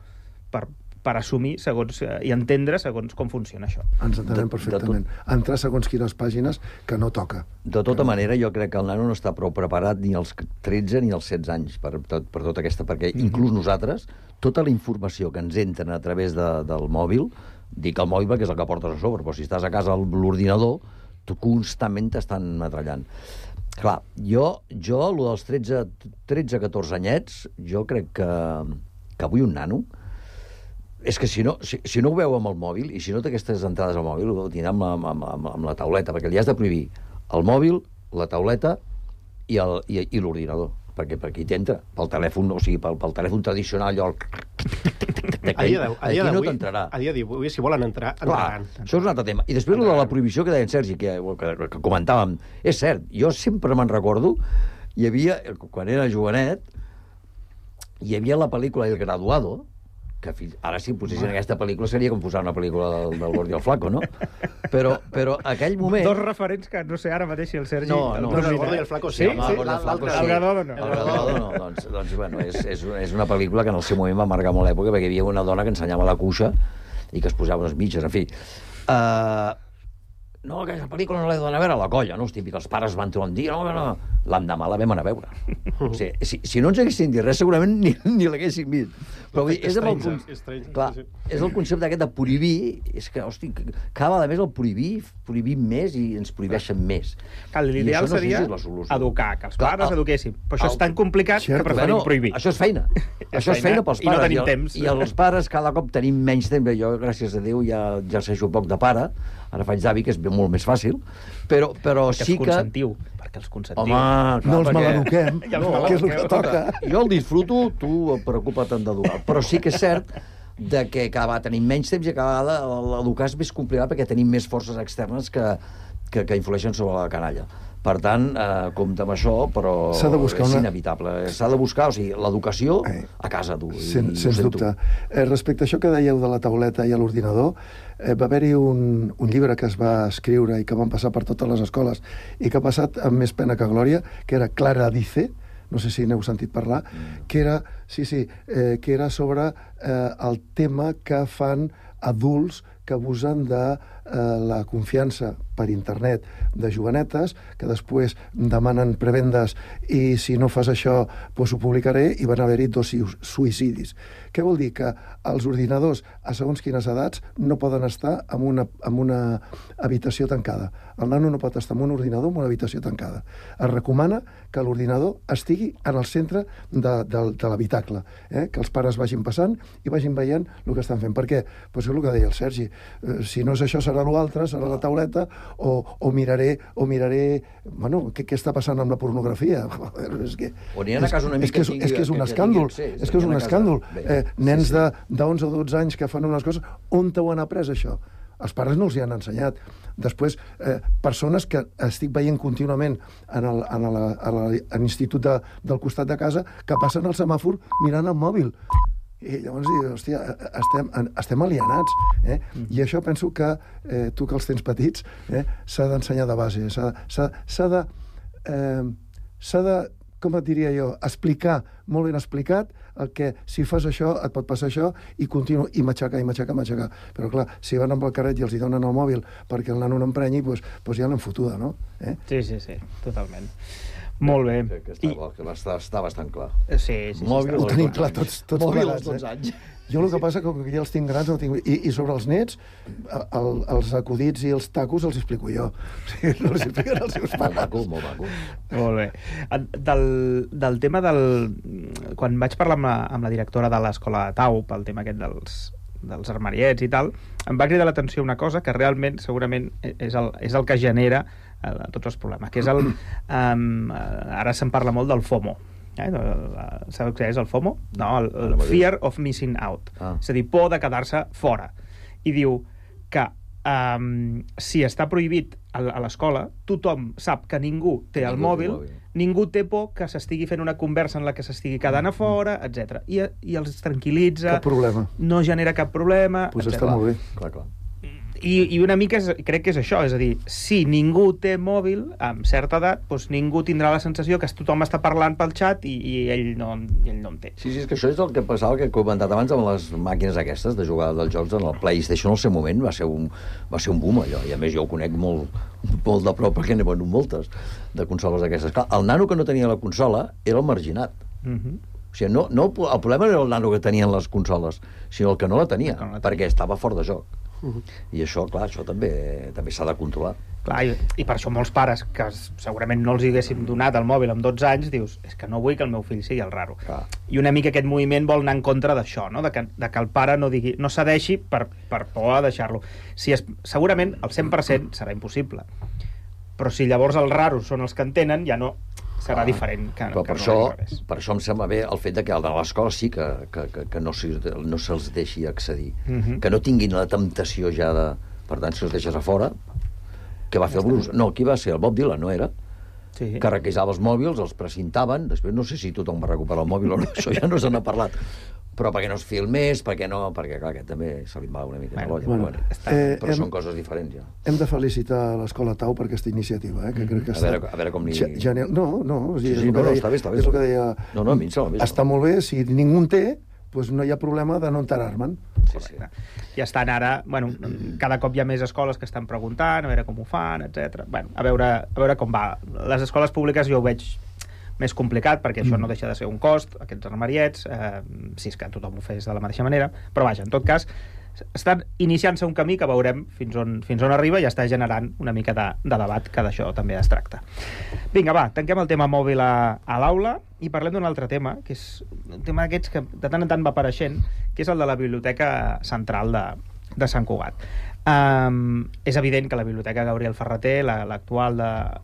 per assumir segons i entendre segons com funciona això. Ens entenem perfectament. Entrar segons quines pàgines que no toca. De tota manera, jo crec que el nano no està prou preparat ni als 13 ni als 16 anys per tota aquesta... Perquè inclús nosaltres, tota la informació que ens entren a través del mòbil, dic el mòbil perquè és el que portes a sobre, però si estàs a casa a l'ordinador, tu constantment t'estan metrallant. Clar, jo lo dels 13-14 anyets, jo crec que avui un nano, és que si no ho veu amb el mòbil, i si no té aquestes entrades al mòbil, ho tindrà amb la tauleta, perquè li has de prohibir el mòbil, la tauleta i l'ordinador, perquè per aquí t'entra, pel telèfon, o sigui, pel telèfon tradicional, allò... Aquí no t'entrarà. A dia d'avui, si volen entrar, entraran. Això és un altre tema. I després de la prohibició que deia en Sergi, que comentàvem, és cert, jo sempre me'n recordo, hi havia, quan era jovenet, hi havia la pel·lícula El Graduado, que ara si posessin aquesta pel·lícula seria com posar una pel·lícula del Gordo i el Flaco, no? Però aquell moment... Dos referents que no sé ara mateix si el Sergi... No, el Gordo i el Flaco sí. El Graduado no. El Graduado no. Doncs bueno, és una pel·lícula que en el seu moment va marcar molt l'època perquè hi havia una dona que ensenyava la cuixa i que es posava unes mitges, en fi. No, aquesta pel·lícula no l'he d'anar a veure a la colla, no? És típic, els pares van trobar un dia, no. L'endemà la vam anar a veure. O sigui, si no ens haguessin dit res, segurament ni l'haguessin vist. Però és el concepte aquest de prohibir, és que, hosti, cada vegada més el prohibim més i ens prohibeixen més. L'ideal seria educar, que els pares eduquessin. Però això és tan complicat que preferim prohibir. Això és feina. Això és feina pels pares. I no tenim temps. I els pares cada cop tenim menys temps. Jo, gràcies a Déu, ja exerceixo poc de pare. Ara faig d'avi, que és molt més fàcil. Però sí que... Perquè els consentiu. Home, no els maleduquem, que és el que toca. Jo el disfruto, tu preocupa't d'educar. Però sí que és cert que cada vegada tenim menys temps i cada vegada l'educar és més complicat perquè tenim més forces externes que influeixen sobre la canalla. Per tant, compta amb això, però és inevitable. S'ha de buscar, o sigui, l'educació a casa, tu. Sens dubte. Respecte a això que dèieu de la tauleta i a l'ordinador, va haver-hi un llibre que es va escriure i que van passar per totes les escoles i que ha passat amb més pena que glòria, que era Clara Dice, no sé si n'heu sentit parlar, que era sobre el tema que fan adults que abusen de la confiança per internet de jovenetes, que després demanen prebendes i si no fas això, doncs ho publicaré, i van haver-hi 2 suïcidis. Què vol dir? Que els ordinadors, a segons quines edats, no poden estar en una habitació tancada. El nano no pot estar en un ordinador en una habitació tancada. Es recomana que l'ordinador estigui en el centre de l'habitacle, que els pares vagin passant i vagin veient el que estan fent. Per què? Doncs és el que deia el Sergi. Si no és això, serà l'altre, serà la tauleta o miraré bueno, què està passant amb la pornografia. És que és un escàndol. És que és un escàndol. Nens de 11 o 12 anys que fan unes coses, on t'ho han après, això? Els pares no els hi han ensenyat. Després, persones que estic veient contínuament a l'institut del costat de casa que passen el semàfor mirant el mòbil. I llavors dius, hòstia, estem alienats. I això penso que tu que els tens petits s'ha d'ensenyar de base. S'ha de, com et diria jo, explicar, molt ben explicat, el que si fas això et pot passar això, i continua, i matxacar. Però clar, si van amb el carret i els hi donen el mòbil perquè el nano no emprenyi, doncs ja l'han fotuda, no? Sí, totalment. Molt bé. Està bastant clar. Sí. Ho tenim clar tots plegats. 12 anys. Jo el que passa que ja els tinc grans, i sobre els nets, els acudits i els tacos els explico jo. No els expliquen els seus pares. Molt maco. Molt bé. Del tema quan vaig parlar amb la directora de l'escola de Tau, pel tema aquest dels armariets i tal, em va cridar l'atenció una cosa que realment, segurament, és el que genera tots els problemes, que és ara se'n parla molt del FOMO. Sabeu què és el FOMO? No, el Fear of Missing Out. És a dir, por de quedar-se fora. I diu que si està prohibit a l'escola, tothom sap que ningú té el mòbil, ningú té por que s'estigui fent una conversa en la que s'estigui quedant a fora, etc. I els tranquil·litza. Cap problema. No genera cap problema, etc. Doncs està molt bé. Clar. I una mica crec que és això, és a dir, si ningú té mòbil amb certa edat, doncs ningú tindrà la sensació que tothom està parlant pel xat i ell no en té. Sí, és que això és el que passava, que he comentat abans amb les màquines aquestes de jugar dels jocs en el PlayStation. Al seu moment va ser un boom, allò, i a més jo ho conec molt de prop perquè n'he venut moltes de consoles d'aquestes. Clar, el nano que no tenia la consola era el marginat. O sigui, el problema no era el nano que tenien les consoles, sinó el que no la tenia, perquè estava fora de joc. I això, clar, això també s'ha de controlar. Clar, i per això molts pares que segurament no els haguéssim donat el mòbil amb 12 anys, dius, és que no vull que el meu fill sigui el raro. I una mica aquest moviment vol anar en contra d'això, no? de que el pare no cedeixi per por a deixar-lo. Segurament el 100% serà impossible, però si llavors els raros són els que entenen, ja no serà diferent. Però per això em sembla bé el fet que a l'escola sí que no se'ls deixi accedir, que no tinguin la temptació ja de... Per tant, si els deixes a fora, què va fer el Bruce? No, qui va ser? El Bob Dylan, no era? Que requisava els mòbils, els precintaven, després no sé si tothom va recuperar el mòbil o no, això ja no se n'ha parlat, però perquè no es filmés, perquè clar, aquest també se li va una mica de l'olla, però són coses diferents ja. Hem de felicitar l'Escola Tau per aquesta iniciativa, que crec que està... A veure com li... No, està bé. És el que deia... No, a mi em sembla bé. Està molt bé, si ningú en té, doncs no hi ha problema de no enterar-me'n. I estan ara, cada cop hi ha més escoles que estan preguntant, a veure com ho fan, etc. A veure com va. Les escoles públiques jo ho veig més complicat, perquè això no deixa de ser un cost, aquests armariets, si és que tothom ho fes de la mateixa manera, però vaja, en tot cas, estan iniciant-se un camí que veurem fins on arriba i està generant una mica de debat, que d'això també es tracta. Vinga, va, tanquem el tema mòbil a l'aula i parlem d'un altre tema, que és un tema d'aquests que de tant en tant va apareixent, que és el de la Biblioteca Central de Sant Cugat. És evident que la Biblioteca Gabriel Ferrater, l'actual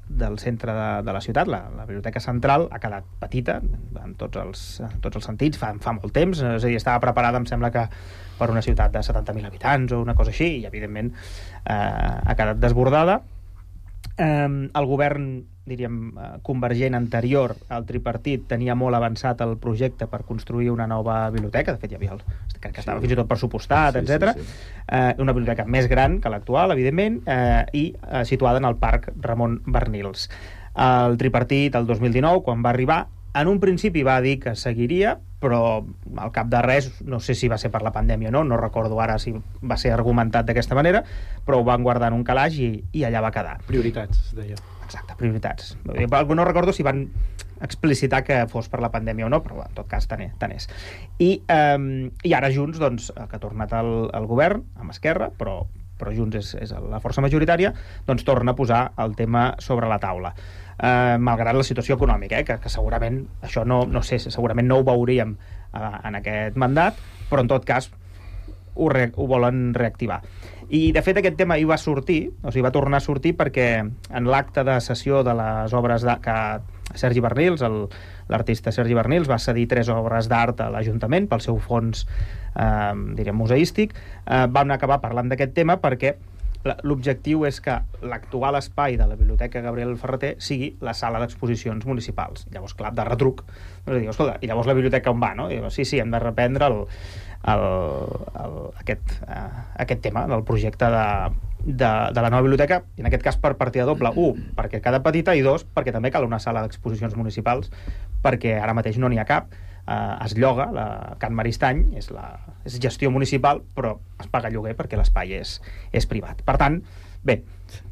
del centre de la ciutat, la Biblioteca Central, ha quedat petita en tots els sentits, fa molt temps, és a dir, estava preparada, em sembla que per una ciutat de 70.000 habitants o una cosa així, i evidentment ha quedat desbordada. El govern, diríem, convergent anterior al tripartit tenia molt avançat el projecte per construir una nova biblioteca, de fet hi havia crec que estava fins i tot pressupostat, etc. Una biblioteca més gran que l'actual, evidentment, i situada en el Parc Ramon Barnils. El tripartit, el 2019, quan va arribar, en un principi va dir que seguiria, però al cap de res, no sé si va ser per la pandèmia o no recordo ara si va ser argumentat d'aquesta manera, però ho van guardar en un calaix i allà va quedar. Prioritats, es deia. Exacte, prioritats. No recordo si van explicitar que fos per la pandèmia o no, però en tot cas tant és. I ara Junts, doncs, que ha tornat al govern, amb Esquerra, però Junts és la força majoritària, doncs torna a posar el tema sobre la taula. Malgrat la situació econòmica, que segurament això no sé, segurament no ho veuríem en aquest mandat, però en tot cas ho volen reactivar. I, de fet, aquest tema hi va sortir, o sigui, va tornar a sortir perquè en l'acte de cessió de les obres que Sergi Bernils, l'artista Sergi Bernils, va cedir 3 obres d'art a l'Ajuntament pel seu fons, museístic, vam acabar parlant d'aquest tema perquè l'objectiu és que l'actual espai de la Biblioteca Gabriel Ferrater sigui la sala d'exposicions municipals. Llavors, clar, de retruc, escolta, i llavors la biblioteca on va, no? Sí, hem de reprendre aquest tema del projecte de la nova biblioteca, i en aquest cas per partida doble. 1, perquè cada petita, i 2, perquè també cal una sala d'exposicions municipals, perquè ara mateix no n'hi ha cap. Es lloga, la Can Maristany és gestió municipal, però es paga lloguer perquè l'espai és privat. Per tant, bé,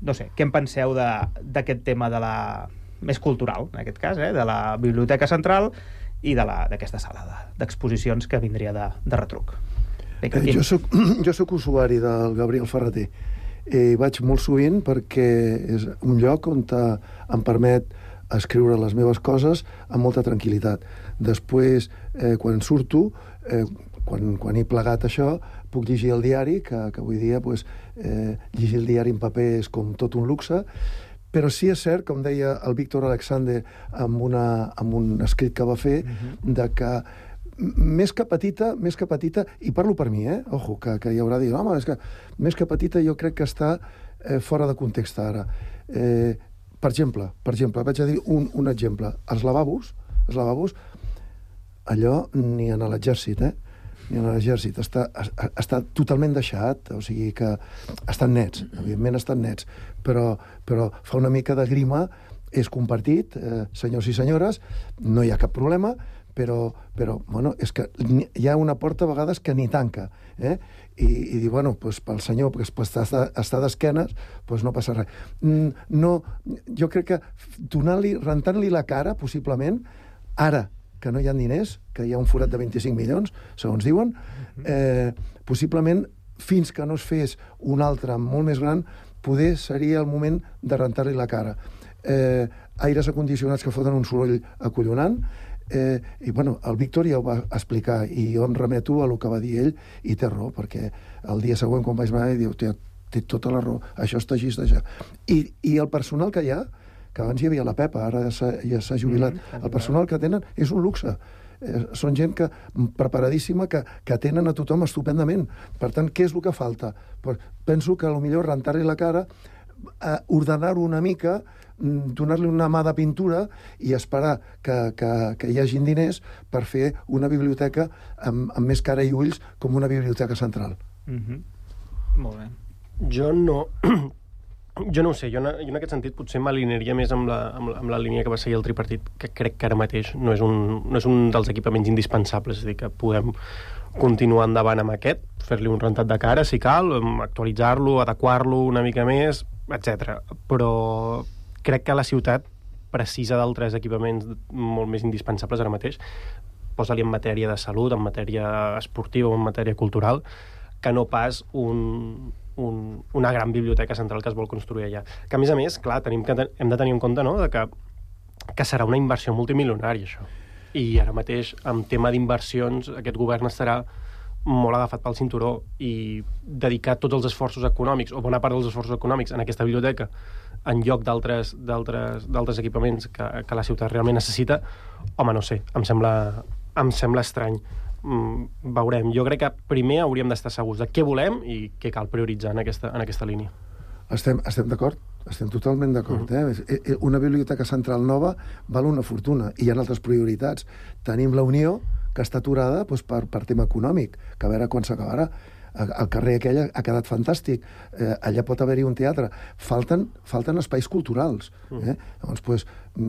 no sé, què en penseu d'aquest tema més cultural, en aquest cas, de la Biblioteca Central i d'aquesta sala d'exposicions que vindria de retruc? Jo soc usuari del Gabriel Ferrater. Vaig molt sovint perquè és un lloc on em permet escriure les meves coses amb molta tranquil·litat. Després, quan surto, quan he plegat això, puc llegir el diari, que avui dia llegir el diari en paper és com tot un luxe, però sí és cert, com deia el Víctor Alexander amb un escrit que va fer, de que més que petita, i parlo per mi, ojo, que hi haurà dit, home, és que més que petita jo crec que està fora de context ara. Per exemple, vaig a dir un exemple. Els lavabos, allò ni en l'exèrcit, ni en l'exèrcit. Està totalment deixat, o sigui que estan nets, evidentment estan nets, però fa una mica de grima, és compartit, senyors i senyores, no hi ha cap problema, però bueno, és que hi ha una porta a vegades que ni tanca, i dir, bueno, pel senyor que està d'esquenes, no passa res. No, jo crec que rentant-li la cara, possiblement, ara que no hi ha diners, que hi ha un forat de 25 milions, segons diuen, possiblement, fins que no es fes un altre molt més gran, poder seria el moment de rentar-li la cara. Aires acondicionats que foten un soroll acollonant, i bueno, el Víctor ja ho va explicar i jo em remeto a el que va dir ell i té raó, perquè el dia següent quan vaig anar diu, té tota la raó, això està així, i el personal que hi ha, que abans hi havia la Pepa, ara ja s'ha jubilat, el personal que tenen és un luxe, són gent preparadíssima que atenen a tothom estupendament. Per tant, què és el que falta? Penso que potser rentar-li la cara, ordenar-ho una mica, donar-li una mà de pintura i esperar que hi hagin diners per fer una biblioteca amb més cara i ulls com una biblioteca central. Molt bé. Jo no ho sé, jo en aquest sentit potser m'alinearia més amb la línia que va seguir el tripartit, que crec que ara mateix no és un dels equipaments indispensables, és a dir, que podem continuar endavant amb aquest, fer-li un rentat de cara si cal, actualitzar-lo, adequar-lo una mica més, etc. Però crec que la ciutat precisa d'altres equipaments molt més indispensables ara mateix, posa-li en matèria de salut, en matèria esportiva o en matèria cultural, que no pas una gran biblioteca central que es vol construir allà. Que, a més, clar, hem de tenir en compte, no?, que serà una inversió multimilionària, això. I ara mateix, en tema d'inversions, aquest govern estarà molt agafat pel cinturó i dedicar tots els esforços econòmics, o bona part dels esforços econòmics, en aquesta biblioteca, en lloc d'altres equipaments que la ciutat realment necessita, home, no sé, em sembla estrany. Veurem. Jo crec que primer hauríem d'estar segurs de què volem i què cal prioritzar en aquesta línia. Estem d'acord, estem totalment d'acord. Una biblioteca central nova val una fortuna i hi ha altres prioritats. Tenim la Unió, que està aturada per tema econòmic, que a veure quan s'acabarà. El carrer aquell ha quedat fantàstic, allà pot haver-hi un teatre. Falten espais culturals. Llavors,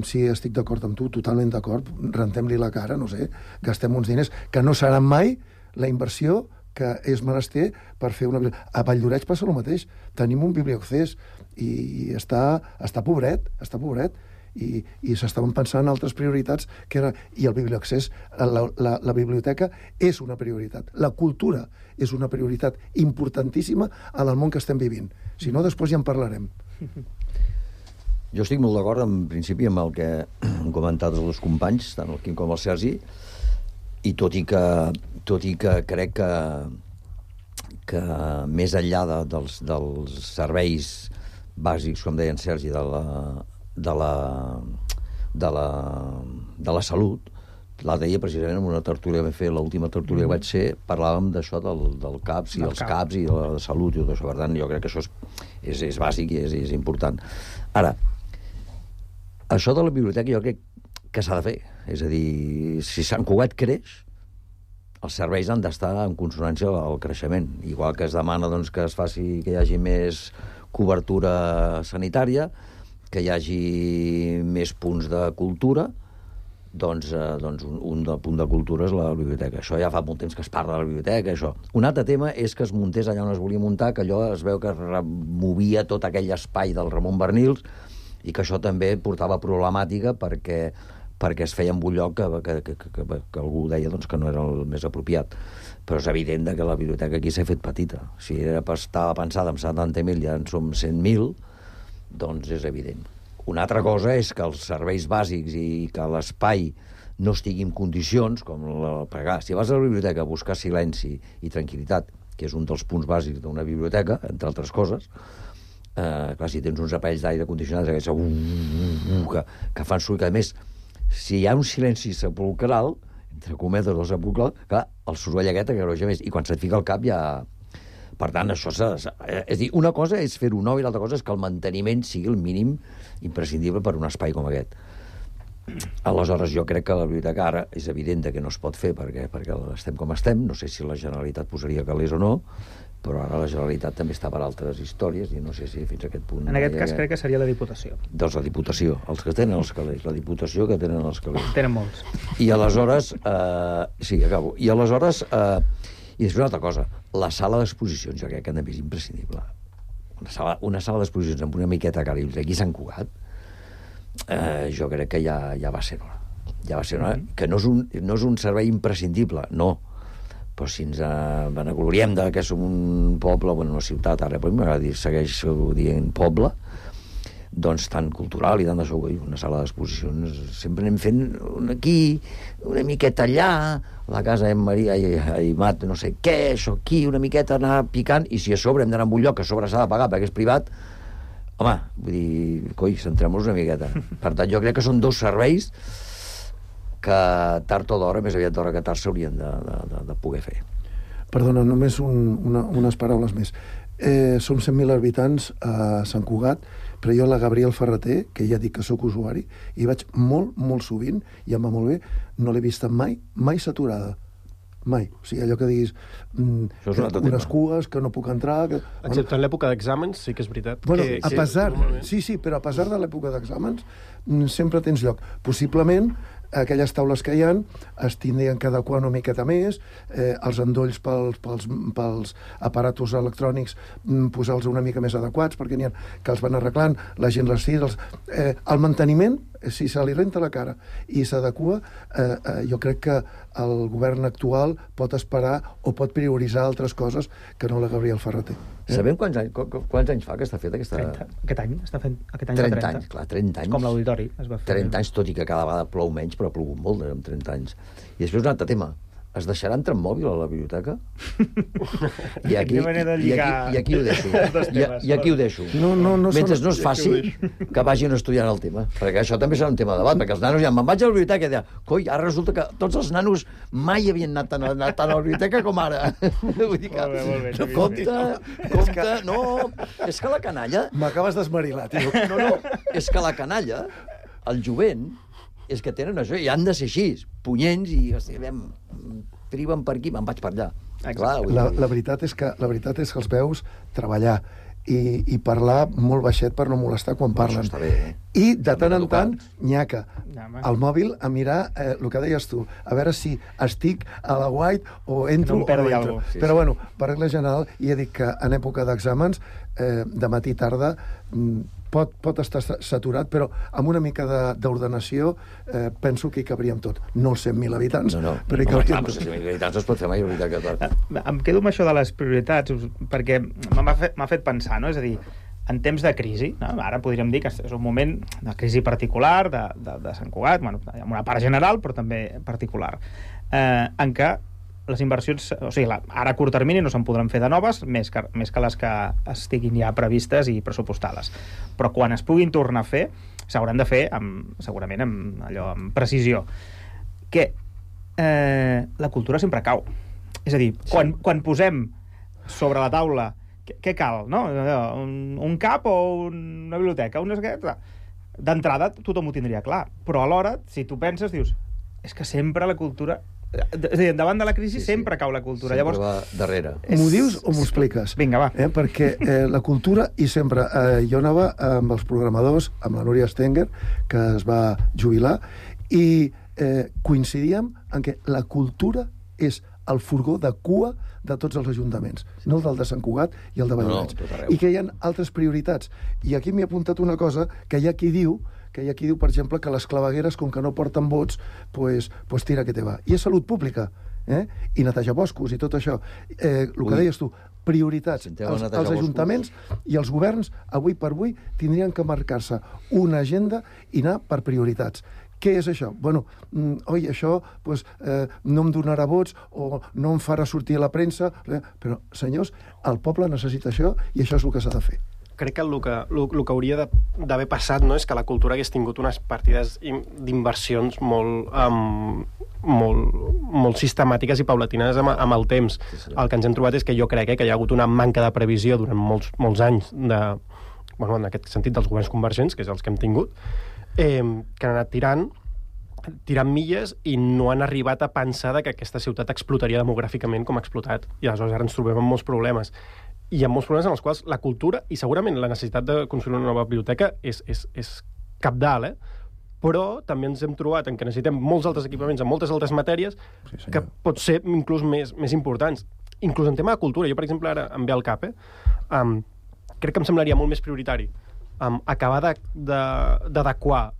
sí, estic d'acord amb tu, totalment d'acord, rentem-li la cara, no sé, gastem uns diners que no seran mai la inversió que és menester per fer una... A Valldoreix passa el mateix. Tenim un biblioaccés i està pobret, i s'estaven pensant en altres prioritats, i el biblioaccés, la biblioteca és una prioritat. La cultura és una prioritat importantíssima en el món que estem vivint. Si no, després ja en parlarem. Jo estic molt d'acord, en principi, amb el que han comentat els dos companys, tant el Quim com el Sergi, i tot i que crec que que més enllà dels serveis bàsics, com deia en Sergi, de la salut, l'altre dia, precisament, en una tertúlia que vam fer, l'última tertúlia que vaig ser, parlàvem d'això del CAPS i els CAPS i de la salut i tot això. Per tant, jo crec que això és bàsic i és important. Ara, això de la biblioteca jo crec que s'ha de fer. És a dir, si Sant Cugat creix, els serveis han d'estar en consonància al creixement. Igual que es demana doncs, que hi hagi més cobertura sanitària, que hi hagi més punts de cultura, doncs un punt de cultura és la biblioteca. Això ja fa molt temps que es parla de la biblioteca, això. Un altre tema és que es muntés allà on es volia muntar, que allò es veu que removia tot aquell espai del Ramon Bernils i que això també portava problemàtica perquè es feia en un lloc que algú deia doncs, que no era el més apropiat. Però és evident que la biblioteca aquí s'ha fet petita. Si estava pensada en 70.000 ja en som 100.000, doncs és evident. Una altra cosa és que els serveis bàsics i que l'espai no estigui en condicions, si vas a la biblioteca a buscar silenci i tranquil·litat, que és un dels punts bàsics d'una biblioteca, entre altres coses, clar, si tens uns aparells d'aire condicionat que fan soroll, que a més, si hi ha un silenci sepulcral, entre cometes o sepulcral, clar, el soroll aquest agreuja més, i quan se't fica al cap ja... Per tant, això és a dir, una cosa és fer-ho nou i l'altra cosa és que el manteniment sigui el mínim imprescindible per un espai com aquest. Aleshores, jo crec que la biblioteca ara és evident que no es pot fer perquè estem com estem, no sé si la Generalitat posaria calés o no, però ara la Generalitat també està per altres històries i no sé si fins a aquest punt... En aquest cas crec que seria la Diputació. Doncs la Diputació, els que tenen els calés, la Diputació que tenen els calés. Tenen molts. I aleshores... sí, acabo. I aleshores... I després una altra cosa, la sala d'exposicions, jo crec que també és imprescindible. Una sala d'exposicions amb una miqueta cara i aquí a Sant Cugat, jo crec que ja va ser hora. Ja va ser hora, que no és un servei imprescindible, no. Però si ens vanagloriem que som un poble, una ciutat, ara m'agrada segueixo dient poble, doncs tan cultural i tant d'això, una sala d'exposicions sempre anem fent aquí, una miqueta allà, la casa de Maria i Mat, no sé què, això aquí, una miqueta anar picant, i si a sobre hem d'anar a un lloc que a sobre s'ha de pagar perquè és privat, home, vull dir, coi, centrem-nos una miqueta. Per tant, jo crec que són dos serveis que tard o d'hora, més aviat d'hora que tard, s'haurien de poder fer. Perdona, només unes paraules més. Som 100.000 habitants a Sant Cugat, però jo la Gabriel Ferreter, que ja dic que sóc usuari, hi vaig molt, molt sovint, i em va molt bé, no l'he vista mai saturada. Mai. O sigui, allò que diguis unes cues, que no puc entrar... Excepte en l'època d'exàmens, sí que és veritat. Bueno, sí, però a pesar de l'època d'exàmens, sempre tens lloc. Possiblement, aquelles taules que hi ha es tindrien que adequar una miqueta més, els endolls pels aparatos electrònics posar-los una mica més adequats, perquè n'hi ha que els van arreglant, la gent les tira... El manteniment, si se li renta la cara i s'adequa, jo crec que el govern actual pot esperar o pot prioritzar altres coses que no la Gabriel Ferreter. Sabem quants anys fa que està feta aquesta... 30. Aquest any està fent... 30 anys, clar, 30 anys. És com l'auditori. 30 anys, tot i que cada vegada plou menys, però ha plogut molt amb 30 anys. I després un altre tema. Es deixarà entrar en mòbil a la biblioteca? I aquí ho deixo. I aquí ho deixo. Mentre no es faci, que vagin estudiant el tema. Perquè això també serà un tema de debat, perquè els nanos ja me'n vaig a la biblioteca i deia, coi, ara resulta que tots els nanos mai havien anat tant a la biblioteca com ara. Vull dir que... Compte, no... És que la canalla... M'acabes d'esmerilar, tio. No, és que la canalla, el jovent, és que tenen això, i han de ser així, punyents, i triben per aquí, me'n vaig per allà. Clar, la veritat és que els veus treballar i parlar molt baixet per no molestar quan parlen. Això està bé, I de tant en tant, nyaca, al mòbil a mirar el que deies tu, a veure si estic a la White o entro o no entro. Però bueno, per regla general, ja dic que en època d'exàmens, de matí i tarda, pot estar saturat, però amb una mica d'ordenació penso que hi cabríem tot. No els 100.000 habitants, però hi cabríem tot. 100.000 habitants es pot fer mai, Em quedo amb això de les prioritats, perquè m'ha fet pensar, no? És a dir, en temps de crisi, no? Ara podríem dir que és un moment de crisi particular de Sant Cugat, bueno, amb una part general, però també particular, en què les inversions, o sigui, ara a curt termini no se'n podran fer de noves, més que les que estiguin ja previstes i pressupostades. Però quan es puguin tornar a fer, s'hauran de fer segurament amb precisió. Que la cultura sempre cau. És a dir, quan posem sobre la taula què cal, no? Un CAP o una biblioteca, d'entrada tothom ho tindria clar, però alhora, si tu penses, dius, és que sempre la cultura... És a dir, davant de la crisi sempre cau la cultura. Sempre va darrere. M'ho dius o m'ho expliques? Vinga, va. Perquè la cultura, i sempre... jo anava amb els programadors, amb la Núria Stenger, que es va jubilar, i coincidíem en que la cultura és el furgó de cua de tots els ajuntaments, no el del de Sant Cugat i el de Valldoreix. I que hi ha altres prioritats. I aquí m'he apuntat una cosa que hi ha qui diu, per exemple, que les clavegueres, com que no porten vots, pues tira que te va. I és salut pública, i netejar boscos i tot això. El que deies tu, prioritats. Els ajuntaments i els governs, avui per avui, tindrien que marcar-se una agenda i anar per prioritats. Què és això? Bueno, això no em donarà vots o no em farà sortir a la premsa, però, senyors, el poble necessita això i això és el que s'ha de fer. Crec que el que hauria d'haver passat, no, és que la cultura hagués tingut unes partides d'inversions molt sistemàtiques i paulatines amb el temps. El que ens hem trobat és que jo crec que hi ha hagut una manca de previsió durant molts anys en aquest sentit dels governs convergents, que és els que hem tingut, que han anat tirant milles i no han arribat a pensar que aquesta ciutat explotaria demogràficament com ha explotat. I aleshores ara ens trobem amb molts problemes. I amb molts problemes en els quals la cultura, i segurament la necessitat de construir una nova biblioteca és cabdal, però també ens hem trobat en que necessitem molts altres equipaments en moltes altres matèries que pot ser inclús més importants. Inclús en tema de cultura. Jo, per exemple, ara em ve al cap, crec que em semblaria molt més prioritari acabar d'adequar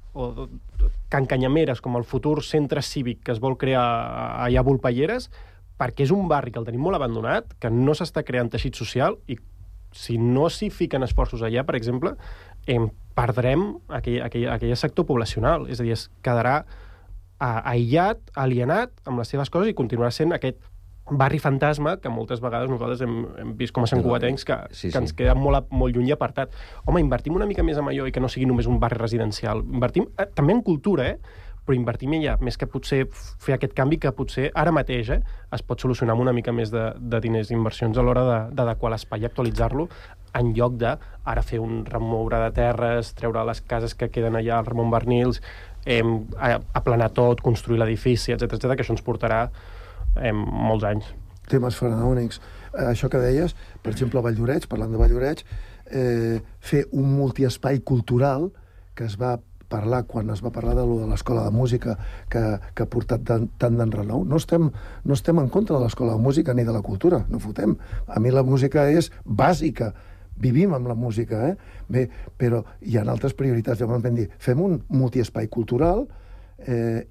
Can Canyameres com el futur centre cívic que es vol crear allà a Volpelleres, perquè és un barri que el tenim molt abandonat, que no s'està creant teixit social, i si no s'hi fiquen esforços allà, per exemple, perdrem aquell sector poblacional. És a dir, es quedarà aïllat, alienat amb les seves coses i continuarà sent aquest barri fantasma que moltes vegades nosaltres hem vist com a santcugatencs que ens queda molt lluny i apartat. Home, invertim una mica més en allò i que no sigui només un barri residencial. Invertim també en cultura, però invertim allà, més que potser fer aquest canvi que potser ara mateix es pot solucionar amb una mica més de diners i inversions a l'hora d'adequar l'espai i actualitzar-lo, en lloc de ara fer un remoure de terres, treure les cases que queden allà al Ramon Barnils, aplanar tot, construir l'edifici, etc, que això ens portarà molts anys. Temes faraònics. Això que deies, per exemple, a Valldoreix, parlant de Valldoreix, fer un multiespai cultural que es va parlar quan es va parlar de l'escola de música que ha portat tant d'enrenou. No estem en contra de l'escola de música ni de la cultura, no fotem. A mi la música és bàsica, vivim amb la música, Bé, però hi ha altres prioritats. Llavors vam dir, fem un multiespai cultural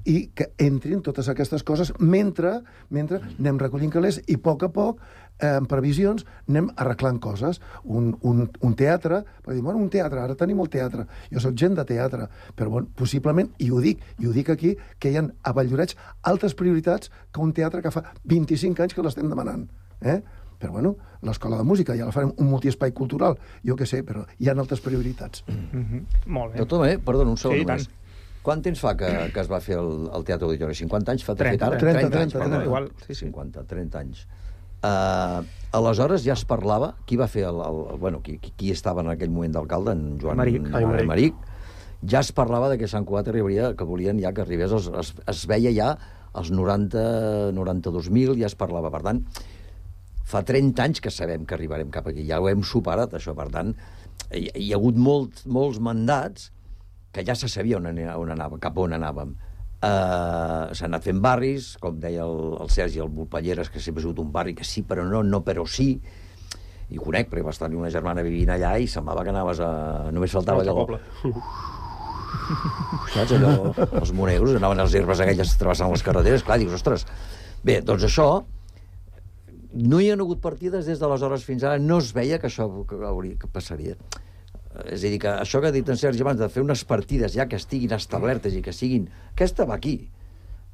i que entrin totes aquestes coses mentre anem recollint calés i a poc, en previsions, anem arreglant coses. Un teatre, per dir, un teatre, ara tenim el teatre. Jo soc gent de teatre, però possiblement, i ho dic aquí, que hi ha a Valldoreix altres prioritats que un teatre que fa 25 anys que l'estem demanant. Però, l'escola de música, ja la farem un multiespai cultural, jo què sé, però hi ha altres prioritats. Molt bé. Doctor, perdona, un segon només. Quant temps fa que es va fer el Teatre Auditori? 50 anys fa de fet ara? 30 anys. Igual, 50, 30 anys. Aleshores ja es parlava, qui va fer qui estava en aquell moment d'alcalde, en Joan Maric, ja es parlava de que Sant Cugat arribaria, que volien ja que arribés, es veia ja els 92.000, ja es parlava. Per tant, fa 30 anys que sabem que arribarem cap aquí, ja ho hem superat, això. Per tant, hi ha hagut molts mandats que ja se sabia cap on anàvem. S'han anat fent barris, com deia el Sergi, el Volpelleres, que sempre ha sigut un barri que sí, però no, però sí. I conec, perquè vas tenir una germana vivint allà i semblava que anaves a... Només faltava allò... Saps, allò? Els monegros anaven a les herbes aquelles travessant les carreteres, clar, dius, ostres. Bé, doncs això... No hi ha hagut partides des d'aleshores fins ara, no es veia que això passaria. És a dir, que això que ha dit en Sergi abans, de fer unes partides ja que estiguin establertes i que siguin... Aquesta va aquí.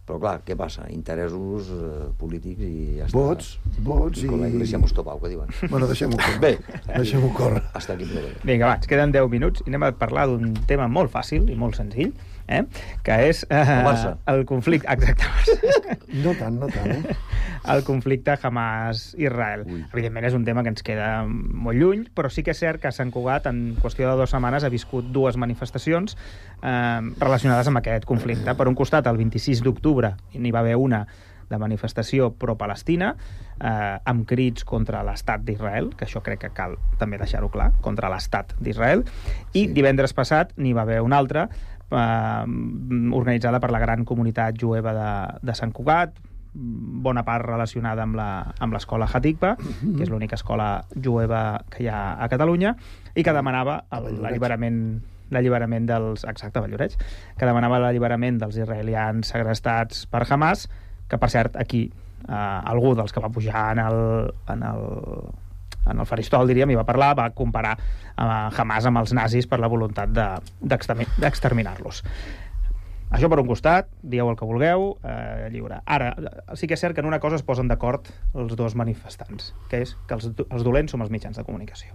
Però clar, què passa? Interessos polítics i ja està. Vots i... Con la iglesia hemos topado, que diuen. Bueno, deixem-ho córrer. Bé. Deixem-ho córrer. Hasta aquí problema. Vinga, va, ens queden 10 minuts i anem a parlar d'un tema molt fàcil i molt senzill, que és el conflicte... Exacte. No tant, El conflicte Hamas-Israel. Evidentment és un tema que ens queda molt lluny, però sí que és cert que Sant Cugat en qüestió de 2 setmanes ha viscut 2 manifestacions relacionades amb aquest conflicte. Per un costat, el 26 d'octubre n'hi va haver una de manifestació pro-Palestina, amb crits contra l'estat d'Israel, que això crec que cal també deixar-ho clar, contra l'estat d'Israel, i divendres passat n'hi va haver una altra, organitzada per la gran comunitat jueva de Sant Cugat, bona part relacionada amb l'escola Hatikva, que és l'única escola jueva que hi ha a Catalunya, i que demanava l'alliberament dels... Exacte, Valloreig, que demanava l'alliberament dels israelians segrestats per Hamas, que, per cert, aquí algú dels que va pujar en el faristol, diríem, i va parlar, va comparar Hamas amb els nazis per la voluntat d'exterminar-los. Això per un costat, dieu el que vulgueu, lliure. Ara, sí que és cert que en una cosa es posen d'acord els 2 manifestants, que és que els dolents som els mitjans de comunicació.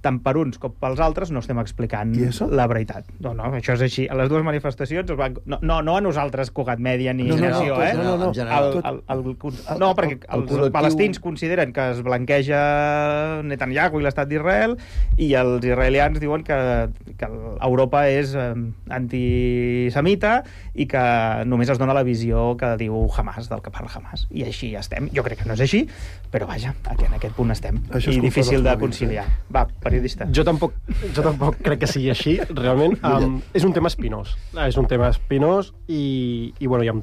Tant per uns com pels altres no estem explicant la veritat. No, això és així. A les 2 manifestacions no a nosaltres, Cugat Mèdia ni Generació, no, perquè els palestins consideren que es blanqueja Netanyahu i l'estat d'Israel, i els israelians diuen que Europa és antisemita i que només es dona la visió que diu Hamas, del que parla Hamas. I així estem. Jo crec que no és així, però vaja, en aquest punt estem. I difícil de conciliar. Va, periodista. Jo tampoc crec que sigui així. Realment, és un tema espinós. És un tema espinós i bueno, ja em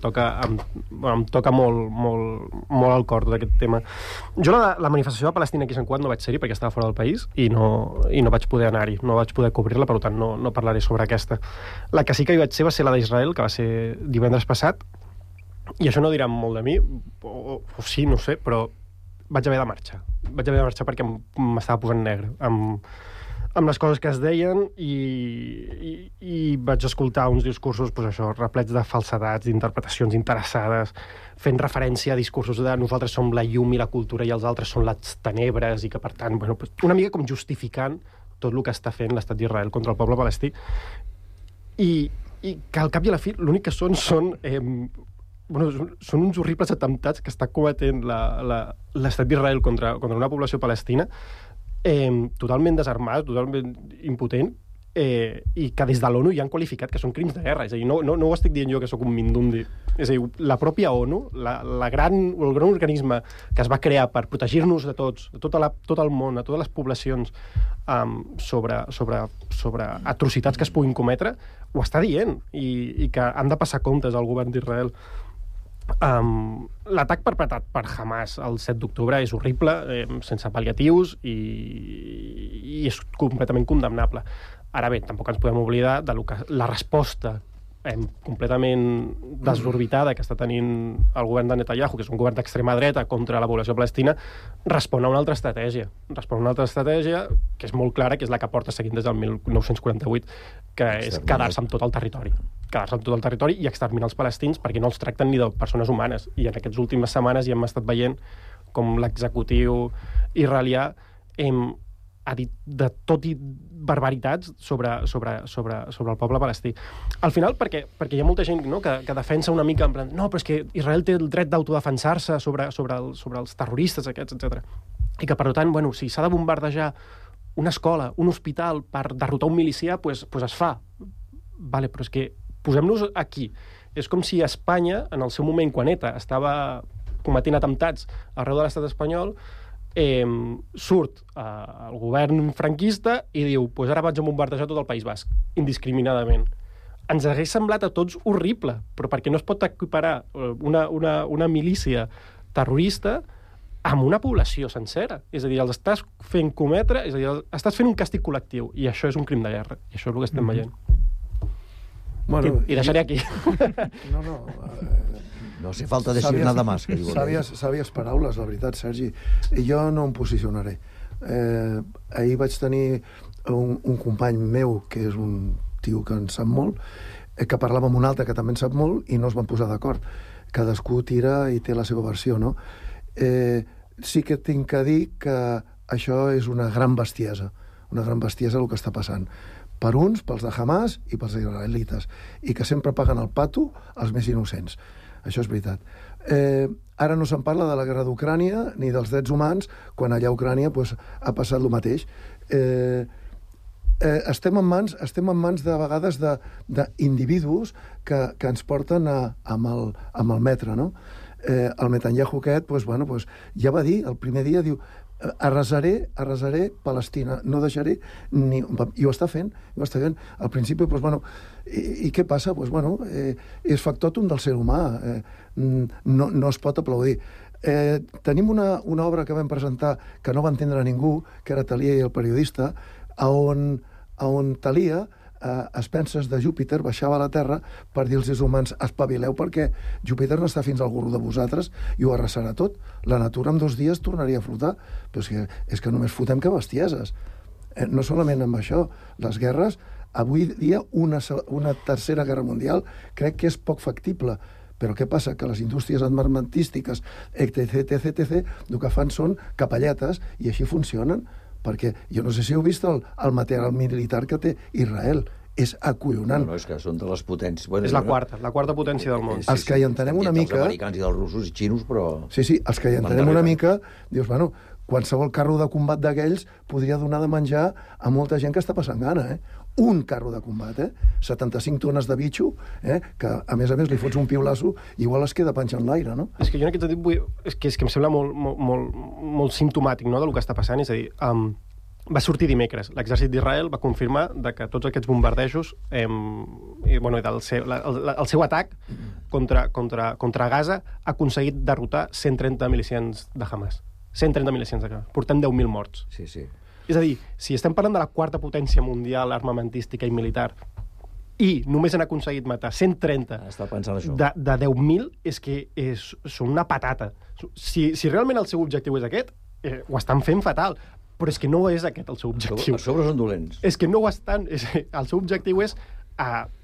toca molt al cor tot aquest tema. Jo la manifestació de Palestina aquí a Sant Cugat no vaig ser-hi perquè estava fora del país i no vaig poder anar-hi, no vaig poder cobrir-la, per tant no parlaré sobre aquesta. La que sí que hi vaig ser va ser la d'Israel, que va ser divendres passat, i això no dirà molt de mi, o sí, no sé, però vaig haver de marxar. Vaig haver de marxar perquè m'estava posant negre amb les coses que es deien i vaig escoltar uns discursos, doncs això, replets de falsedats, d'interpretacions interessades, fent referència a discursos de nosaltres som la llum i la cultura i els altres són les tenebres, i que, per tant, bueno, una mica com justificant tot el que està fent l'estat d'Israel contra el poble palestí. I que al cap i a la fi l'únic que són uns horribles atemptats que està cometent l'estat d'Israel contra una població palestina totalment desarmada, totalment impotent, i que des de l'ONU ja han qualificat que són crims de guerra. És a dir, no ho estic dient jo que sóc un mindundi. És a dir, la pròpia ONU, el gran organisme que es va crear per protegir-nos de tots, de tot el món, a totes les poblacions, sobre atrocitats que es puguin cometre, ho està dient, i que han de passar comptes al govern d'Israel. L'atac perpetrat per Hamas el 7 d'octubre és horrible, sense pal·liatius, i és completament condemnable. Ara bé, tampoc ens podem oblidar de la resposta completament desorbitada que està tenint el govern de Netanyahu, que és un govern d'extrema dreta contra la població palestina, respon a una altra estratègia. Respon a una altra estratègia que és molt clara, que és la que porta seguint des del 1948, que és quedar-se amb tot el territori. Quedar-se amb tot el territori i exterminar els palestins perquè no els tracten ni de persones humanes. I en aquestes últimes setmanes ja hem estat veient com l'executiu israelià ha dit de tot i barbaritats sobre el poble palestí. Al final, perquè hi ha molta gent que defensa una mica en plan, no, però és que Israel té el dret d'autodefensar-se sobre els terroristes aquests, etc. I que, per tant, bueno, si s'ha de bombardejar una escola, un hospital per derrotar un milicià, pues es fa. Vale, però és que posem-nos aquí. És com si Espanya, en el seu moment, quan ETA estava cometent atemptats arreu de l'estat espanyol, surt el govern franquista i diu, pues ara vaig a bombardejar tot el País Basc, indiscriminadament. Ens hagués semblat a tots horrible, però perquè no es pot equiparar una milícia terrorista amb una població sencera. És a dir, els estàs fent cometre, és a dir, estàs fent un càstig col·lectiu, i això és un crim de guerra, i això és el que estem veient. Bueno, I deixaré aquí. No hace falta decir nada más. Sàvies paraules, la veritat, Sergi. I jo no em posicionaré. Ahir vaig tenir un company meu, que és un tio que en sap molt, que parlava amb un altre que també en sap molt i no es van posar d'acord. Cadascú tira i té la seva versió, no? Sí que tinc que dir que això és una gran bestiesa el que està passant. Per uns, pels de Hamas i pels israelites, i que sempre paguen el pato als més innocents. Això és veritat. Ara no se'n parla de la guerra d'Ucrània ni dels drets humans, quan allà a Ucrània ha passat el mateix. Estem en mans de vegades d'individus que ens porten amb el metre, no? El Netanyahu aquest, ja va dir, el primer dia, diu, arrasaré Palestina, no deixaré ni... I ho està fent. Al principi, i què passa? És factòtum del ser humà. No es pot aplaudir. Tenim una obra que vam presentar que no va entendre ningú, que era Thalia i el periodista, on Thalia, a expenses de Júpiter, baixava a la Terra per dir als éssers humans, espavileu, perquè Júpiter no està fins al gorro de vosaltres i ho arrasarà tot. La natura en 2 dies tornaria a flotar. Però és que només fotem que bestieses. No solament amb això. Les guerres, avui dia, una tercera guerra mundial, crec que és poc factible. Però què passa? Que les indústries armamentístiques, etc., el que fan són capelletes i així funcionen. Perquè jo no sé si heu vist el material militar que té Israel. És acollonant. No, és que són de les potències... És la quarta potència del món. Els que hi entenem una mica... Els americans i dels russos i xinos, però... Sí, els que hi entenem una mica, dius, qualsevol carro de combat d'aquells podria donar de menjar a molta gent que està passant gana, Un carro de combat, 75 tones de bitxo, que a més li fots un piulasso i igual es queda penjant l'aire, no? És que jo en aquest sentit és que em sembla molt simptomàtic, no?, del que està passant. És a dir, va sortir dimecres. L'exèrcit d'Israel va confirmar que tots aquests bombardejos el seu atac contra Gaza ha aconseguit derrotar 130 milicians de Hamas. 130 milicians de Hamas. Portem 10.000 morts. Sí. És a dir, si estem parlant de la quarta potència mundial armamentística i militar i només han aconseguit matar 130 de 10.000, és que són una patata. Si realment el seu objectiu és aquest, ho estan fent fatal. Però és que no és aquest el seu objectiu. A sobre són dolents. És que no ho estan. El seu objectiu és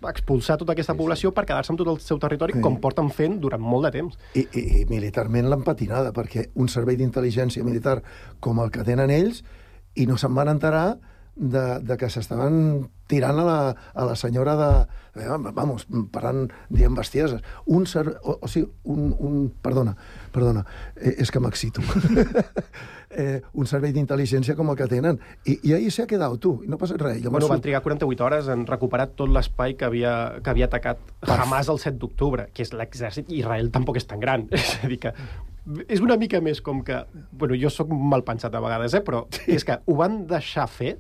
expulsar tota aquesta població per quedar-se amb tot el seu territori, com porten fent durant molt de temps. I militarment l'han patinada, perquè un servei d'intel·ligència militar com el que tenen ells, i no se'n van enterar de que s'estaven tirant a la senyora parlant, dient bestieses. Perdona, és que m'excito. Un servei d'intel·ligència com el que tenen. I ahí s'ha quedat, tu, i no passa res. Van trigar 48 hores en recuperar tot l'espai que havia atacat Hamas el 7 d'octubre, que és l'exèrcit, i Israel tampoc és tan gran. És a dir que és una mica més com que... jo sóc mal pensat a vegades, però és que ho van deixar fer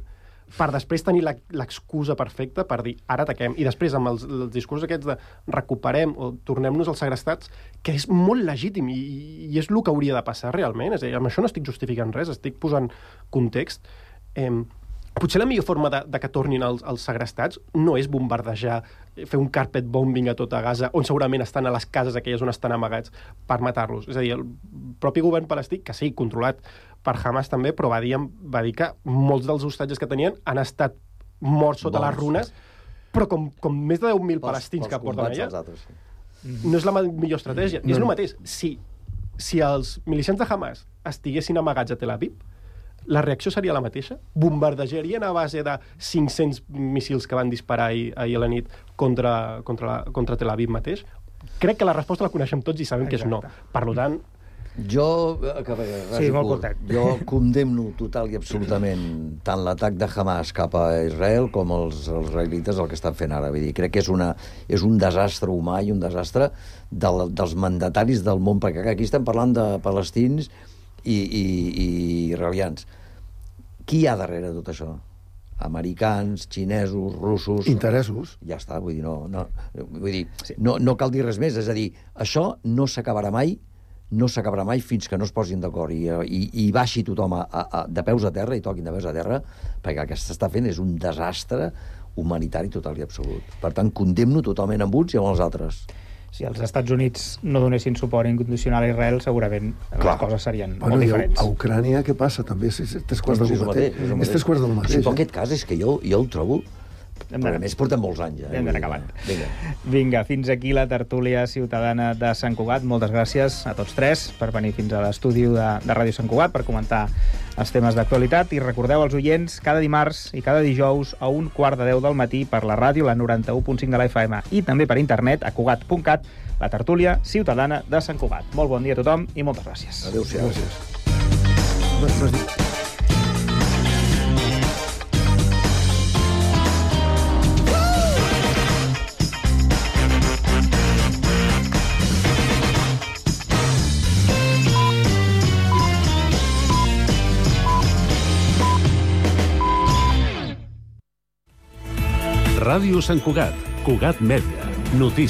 per després tenir l'excusa perfecta per dir, ara ataquem. I després, amb els discursos aquests de recuperem o tornem-nos als segrestats, que és molt legítim i és el que hauria de passar realment. És a dir, amb això no estic justificant res, estic posant context. Potser la millor forma de que tornin els segrestats no és bombardejar, fer un carpet bombing a tota Gaza, on segurament estan a les cases aquelles on estan amagats per matar-los. És a dir, el propi govern palestí, que sí, controlat per Hamas també, però va dir que molts dels hostatges que tenien han estat morts sota les runes, però com més de 10.000 palestins que porten allà, no és la millor estratègia. És el mateix. Si els milicians de Hamas estiguessin amagats a Tel Aviv, la reacció seria la mateixa? Bombardejarien a base de 500 míssils que van disparar ahir a la nit contra Tel Aviv mateix? Crec que la resposta la coneixem tots i sabem que és no. Per tant... Jo condemno total i absolutament tant l'atac de Hamas cap a Israel com els israelites el que estan fent ara. Vull dir, crec que és un desastre humà i un desastre dels mandataris del món, perquè aquí estem parlant de palestins i israelians. Qui hi ha darrere de tot això? Americans, xinesos, russos... Interessos. Ja està, vull dir, no cal dir res més. És a dir, això no s'acabarà mai fins que no es posin d'acord i baixi tothom de peus a terra i toquin de peus a terra, perquè el que s'està fent és un desastre humanitari total i absolut. Per tant, condemno totalment amb uns i amb els altres. Si els Estats Units no donessin suport incondicional a Israel, segurament les coses serien molt diferents. A Ucrània què passa? També és tres quarts del mateix. És tres quarts del mateix. En aquest cas és que jo el trobo Però a més portem molts anys. Hem d'anar acabant. Vinga, fins aquí la tertúlia ciutadana de Sant Cugat. Moltes gràcies a tots tres per venir fins a l'estudi de Ràdio Sant Cugat per comentar els temes d'actualitat. I recordeu als oients, cada dimarts i cada dijous a 1:15 del matí per la ràdio, la 91.5 de la FM, i també per internet a cugat.cat, la tertúlia ciutadana de Sant Cugat. Molt bon dia a tothom i moltes gràcies. Adéu-siau. Ràdio Sant Cugat, Cugat Mèdia, notícies.